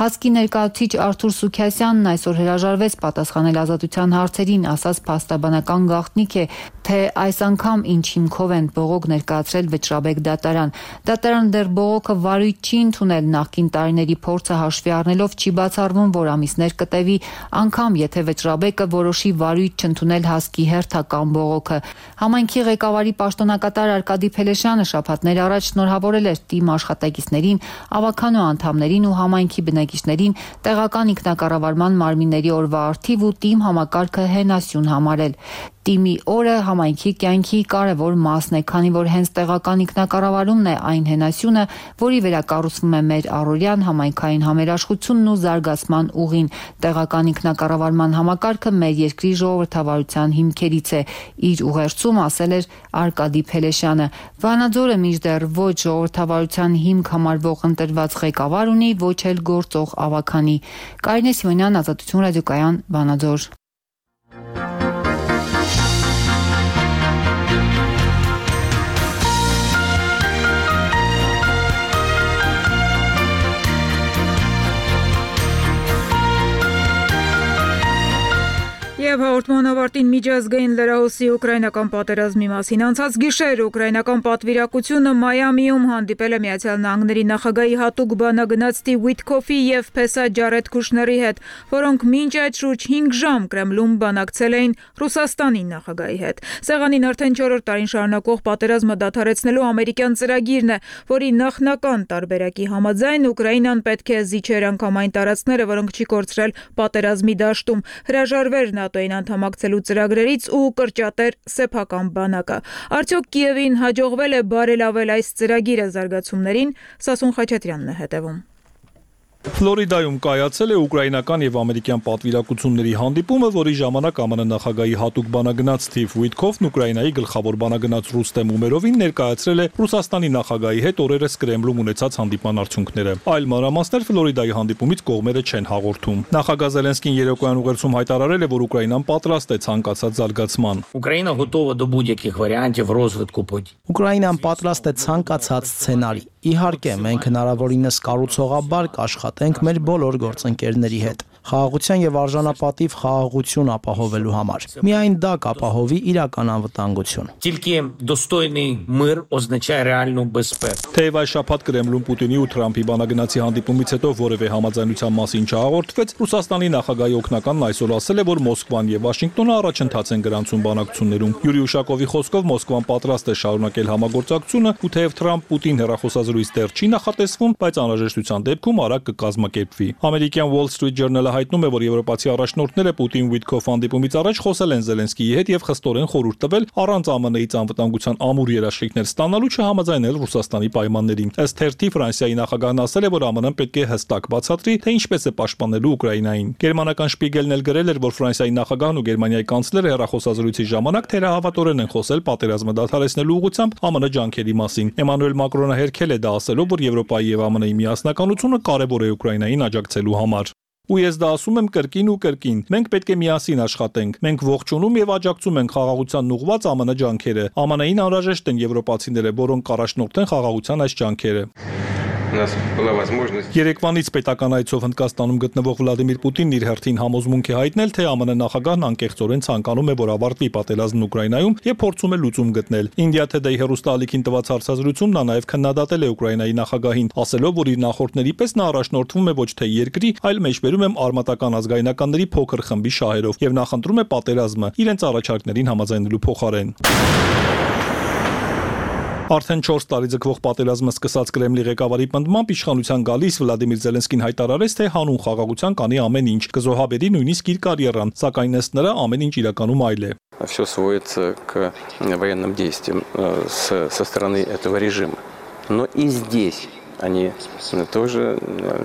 ՀԱՍԿ-ի ներկայացուցիչ Արթուր Սուքիասյանն այսօր հրաժարվեց պատասխանել Ազատության հարցերին, ասաց փաստաբանական գաղտնիք է, թե այս անգամ ինչ հիմքով են բողոք ներկայացրել Վճռաբեկ դատարան։ Դատարանը դեռ բողոքը վարույթ չի ընդունել, նախկին տարիների փորձը հաշվի առնելով չի բացառվում, որ ամիսներ կտևի, անգամ եթե Վճռաբեկը որոշի վարույթ չընդունել հասկի հերթական բողոքը։ Համայնքի ղեկավարի պաշտոնակատար Արկադի Փելեշյանը շաբաթներ առաջ շնորհավորել էր թիմ աշխատակիցներին, ավականու անդամներին ու համայնքի բնակիչներին տեղական ինքնակառավարման մարմինների օրվա առթիվ ու թիմ համակարգը հենասյուն համարել։ Թիմի օրը համայնքի կյանքի կարևոր մասն է, քանի որ հենց տեղական ինքնակառավարումն է այն հենասյունը, որի վերակառուցվում է մեր առօրյան համայնքային համերաշխությունն ու զարգացման ուղին։ Տեղական ինքնակառավարման համակարգը մեր երկրի ժողովրդավարության հիմքերից է, իր ուղերձում ասել էր Արկադի Փելեշյանը։ Վանաձորը մինչդեռ ոչ ժողովրդավարության հիմք համարվող ընտրված ղեկավար ունի, ոչ էլ գործող ավագանի։ Կարինե Սիմոնյան, Ազատություն ռադիոկայան, Վանաձոր։ Եվ հաղորդման ավարտին միջազգային լրահոսի ուկրաինական պատերազմի մասին անցած գիշեր ուկրաինական պատվիրակությունը Մայամիում հանդիպել է Միացյալ Նահանգների նախագահի հատուկ բանագնաց Սթիվ Ուիթքոֆի եւ Փեսա Ջարեդ Քուշների հետ, որոնք մինչ այդ շուրջ 5 ժամ Կրեմլում բանակցել էին Ռուսաստանի նախագահի հետ։ Սեղանին արդեն 4-րդ տարին շարունակող պատերազմը դադարեցնելու ամերիկյան ծրագիրն է, որի նախնական տարբերակի համաձայն Ուկրաինան պետք է զիջեր անգամ այն տարածքները, որոնք չի կորցրել պատերազմի դաշտում, հրաժարվեր ՆԱՏՕ-ին անդամակցելու ծրագրերից ու կրճատեր սեփական բանակը։ Արդյոք Կիևին հաջողվել է բարելավել այս ծրագիրը զարգացումներին, Սասուն Խաչատրյանն է հետևում։ Ֆլորիդայում կայացել է ուկրաինական եւ ամերիկյան պատվիրակությունների հանդիպումը, որի ժամանակ ԱՄՆ նախագահի հատուկ բանագնաց Սթիվ Ուիթքոֆն Ուկրաինայի գլխավոր բանագնաց Ռուստեմ Ումերովին ներկայացրել է Ռուսաստանի նախագահի հետ օրերս Կրեմլում ունեցած հանդիպման արդյունքները։ Այլ մանրամասներ Ֆլորիդայի հանդիպումից կողմերը չեն հաղորդում։ Նախագահ Զելենսկին երեկոյան ուղերձում հայտարարել է, որ Ուկրաինան պատրաստ է ցանկացած զարգացման։ Ուկրաինա готова до будь-яких варіантів розвитку подій. Ուկրաինան պատրաստ է ցանկացած սցենարի։ Իհարկե, մենք հնարավորինս կառուցողաբար կաշխատենք մեր բոլոր գործընկերների հետ, խաղաղության եւ արժանապատիվ խաղաղություն ապահովելու համար։ Միայն դա կապահովի իրական անվտանգություն։ Тільки достойний мир означає реальну безпеку. Թեև այս շաբաթ Կրեմլում Պուտինի ու Թրամփի բանագնացի հանդիպումից հետո որևէ համաձայնության մասին չհաղորդվեց, Ռուսաստանի նախագահի օգնականն այսօր ասել է, որ Մոսկվան եւ Վաշինգտոնը առաջընթաց են գրանցում բանակցություններում։ Յուրի Ուշակովի խոսքով Մոսկվան պատրաստ է շարունակել համագործակցությունը, ու թեև Թրամփ-Պուտին հեռախոսազրույց դեռ չի նախատեսվում, բայց անհրաժեշտության դեպքում արագ կկազմակերպվի։ Ամերիկյան Wall Street Journal-ը հայտնում է, որ եվրոպացի առաջնորդները Պուտին-Ուիթքոֆ հանդիպումից առաջ խոսել են Զելենսկիի հետ եւ խստորեն խորհուրդ տվել առանց ԱՄՆ-ից անվտանգության ամուր երաշխիքներ ստանալու չհամաձայնել Ռուսաստանի պայմաններին։ Ըստ թերթի Ֆրանսիայի նախագահն ասել է, որ ԱՄՆ-ն պետք է հստակ բացատրի, թե ինչպես է պաշտպանելու Ուկրաինային։ Գերմանական Շպիգելն էլ գրել էր, որ Ֆրանսիայի նախագահն ու Գերմանիայի կանցլերը հեռախոսազրույցի ժամանակ թերահավատորեն են խոսել պատերազմը դադարեցնելու ուղղությամբ ԱՄՆ ջանքերի մասին։ Էմանուել Մակրոնը հերքել է դա ասելով, որ Եվրոպայի եւ ԱՄՆ-ի միասնականությունը կարևոր է Ուկրաինային աջակցելու համար։ Ու ես դա ասում եմ կրկին ու կրկին։ Մենք պետք է միասին աշխատենք։ Մենք ողջունում եւ աջակցում ենք խաղաղությանն ուղղված ԱՄՆ ջանքերը։ ԱՄՆ-ին անհրաժեշտ են եվրոպացիները, որոնք կառաջնորդեն խաղաղության այս ջանքերը։ Երեկվանից պետական այցով Հնդկաստանում գտնվող Վլադիմիր Պուտինն իր հերթին համոզմունք է հայտնել, թե ԱՄՆ նախագահն անկեղծորեն ցանկանում է, որ ավարտվի պատերազմն Ուկրաինայում եւ փորձում է լուծում գտնել։ India Today հեռուստաալիքին տված հարցազրույցում նա նաեւ քննադատել է Ուկրաինայի նախագահին, ասելով, որ իր նախորդների պես նա առաջնորդվում է ոչ թե երկրի, այլ մեջբերում եմ արմատական ազգայնականների փոքր խմբի շահերով եւ նախընտրում է պատերազմը իրենց առաջարկներին համաձայնելու փոխարեն։ Արդեն 4 տարի ձգվող պատերազմը սկսած Կրեմլի ղեկավարի պնդմամբ իշխանության գալիս Վլադիմիր Զելենսկին հայտարարեց, թե հանուն խաղաղության կանի ամեն ինչ, կզոհաբերի նույնիսկ իր կարիերան, сакայն ըստ նրա ամեն ինչ իրականում այլ է։ Все сводится к военным действиям со стороны этого режима. Но и здесь они тоже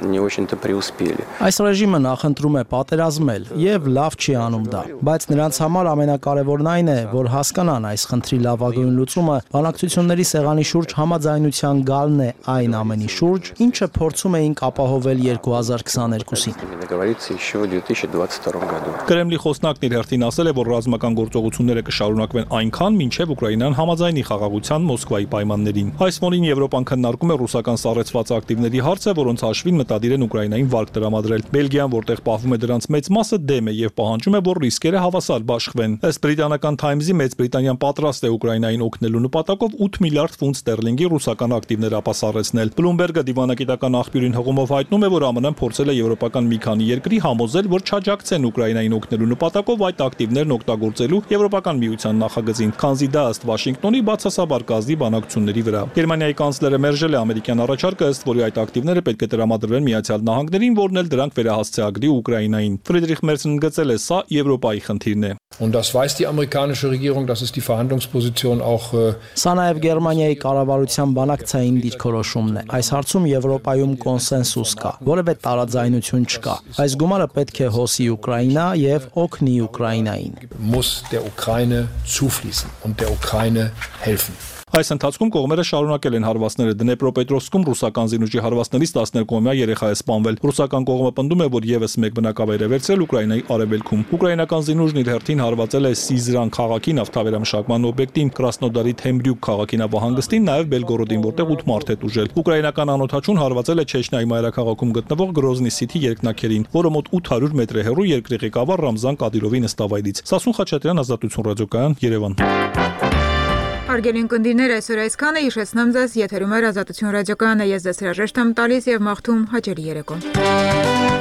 не очень-то преуспели. Այս ռեժիմը նախընտրում է պատերազմել եւ լավ չի անում դա, բայց նրանց համար ամենակարևորն այն է, որ հասկանան այս խնդրի լավագույն լուծումը բանակցությունների սեղանի շուրջ համաձայնության գալն է այն ամենի շուրջ, ինչը փորձում էինք ապահովել 2022-ին։ Договориться еще в 2022 году. Կրեմլի խոսնակն իր հերթին ասել է, որ ռազմական գործողությունները կշարունակվեն այնքան, մինչև Ուկրաինան համաձայնի խաղաղության Մոսկվայի պայմաններին։ Այս ֆոնին Եվրոպան քննարկում է ռուսական սառեցող կորցված ակտիվների հարցը, որոնց հաշվին մտադիր են Ուկրաինային վարկ տրամադրել։ Բելգիան, որտեղ պահվում է դրանց մեծ մասը, դեմ է եւ պահանջում է, որ ռիսկերը հավասար բաշխվեն։ Ըստ բրիտանական Times-ի Մեծ Բրիտանիան պատրաստ է Ուկրաինային օգնելու նպատակով 8 միլիարդ ֆունտ ստերլինգի ռուսական ակտիվներ ապասառեցնել։ Bloomberg-ը դիվանագիտական աղբյուրին հղումով հայտնում է, որ ԱՄՆ-ն փորձել է եվրոպական մի քանի երկրի համոզել, որ չաջակցեն Ուկրաինային օգնելու նպատակով այդ ակտիվներն օգտագործելու Եվրոպական միության նախագծին, քանզի դա ըստ Վաշինգտոնի բացասաբար կազդի բանակցությունների վրա։ Գերմանիայի կանցլերը մերժել է ամերիկյան առաջարկը, ըստ որի այդ ակտիվները պետք է տրամադրվեն Միացյալ Նահանգներին, որն էլ դրանք վերահասցեագրի Ուկրաինային։ Ֆրիդրիխ Մերցն ընդգծել է, սա Եվրոպայի խնդիրն է։ Und das weiß die amerikanische Regierung, das ist die Verhandlungsposition auch Սա նաև Գերմանիայի կառավարության բանակցային դիրքորոշումն է։ Այս հարցում Եվրոպայում կոնսենսուս կա, որևէ տարաձայնություն չկա։ Այս գումարը պետք է հոսի Ուկրաինա եւ օգնի Ուկրաինային։ Muss der Ukraine zufließen und der Ukraine helfen. Այս ընթացքում կողմերը շարունակել են հարվածները։ Դնեպրոպետրովսկում ռուսական զինուժի հարվածներից 12-ամյա երեխա է սպանվել։ Ռուսական կողմը պնդում է, որ եւս մեկ բնակավայր է վերցրել Ուկրաինայի արևելքում։ Ուկրաինական զինուժն իր հերթին հարվածել է Սիզրան քաղաքի նավթավերամշակման օբյեկտին, Կրասնոդարի Թեմբրյուկ քաղաքի նավահանգստին, նաև Բելգորոդին, որտեղ 8 մարդ է տուժել։ Ուկրաինական անօթաչուն հարվածել է Չեչնիայի մայրաքաղաքում գտնվող Գրոզնի Սիթի երկնաքերին, որը մոտ 800 մետր է հեռու երկրի ղեկավար Ռամզան Կադիրովի նստավայրից։ Սասուն Խաչատրյան, Ազատություն ռադիոկայան, Երևան։ Հարգելի ունկնդիրներ, այսօր այսքանը, հիշեցնեմ ձեզ, եթերում է Ազատություն ռադիոկայանը, ես ձեզ հրաժեշտ եմ տալիս եւ մաղթում հաջելի երեկո։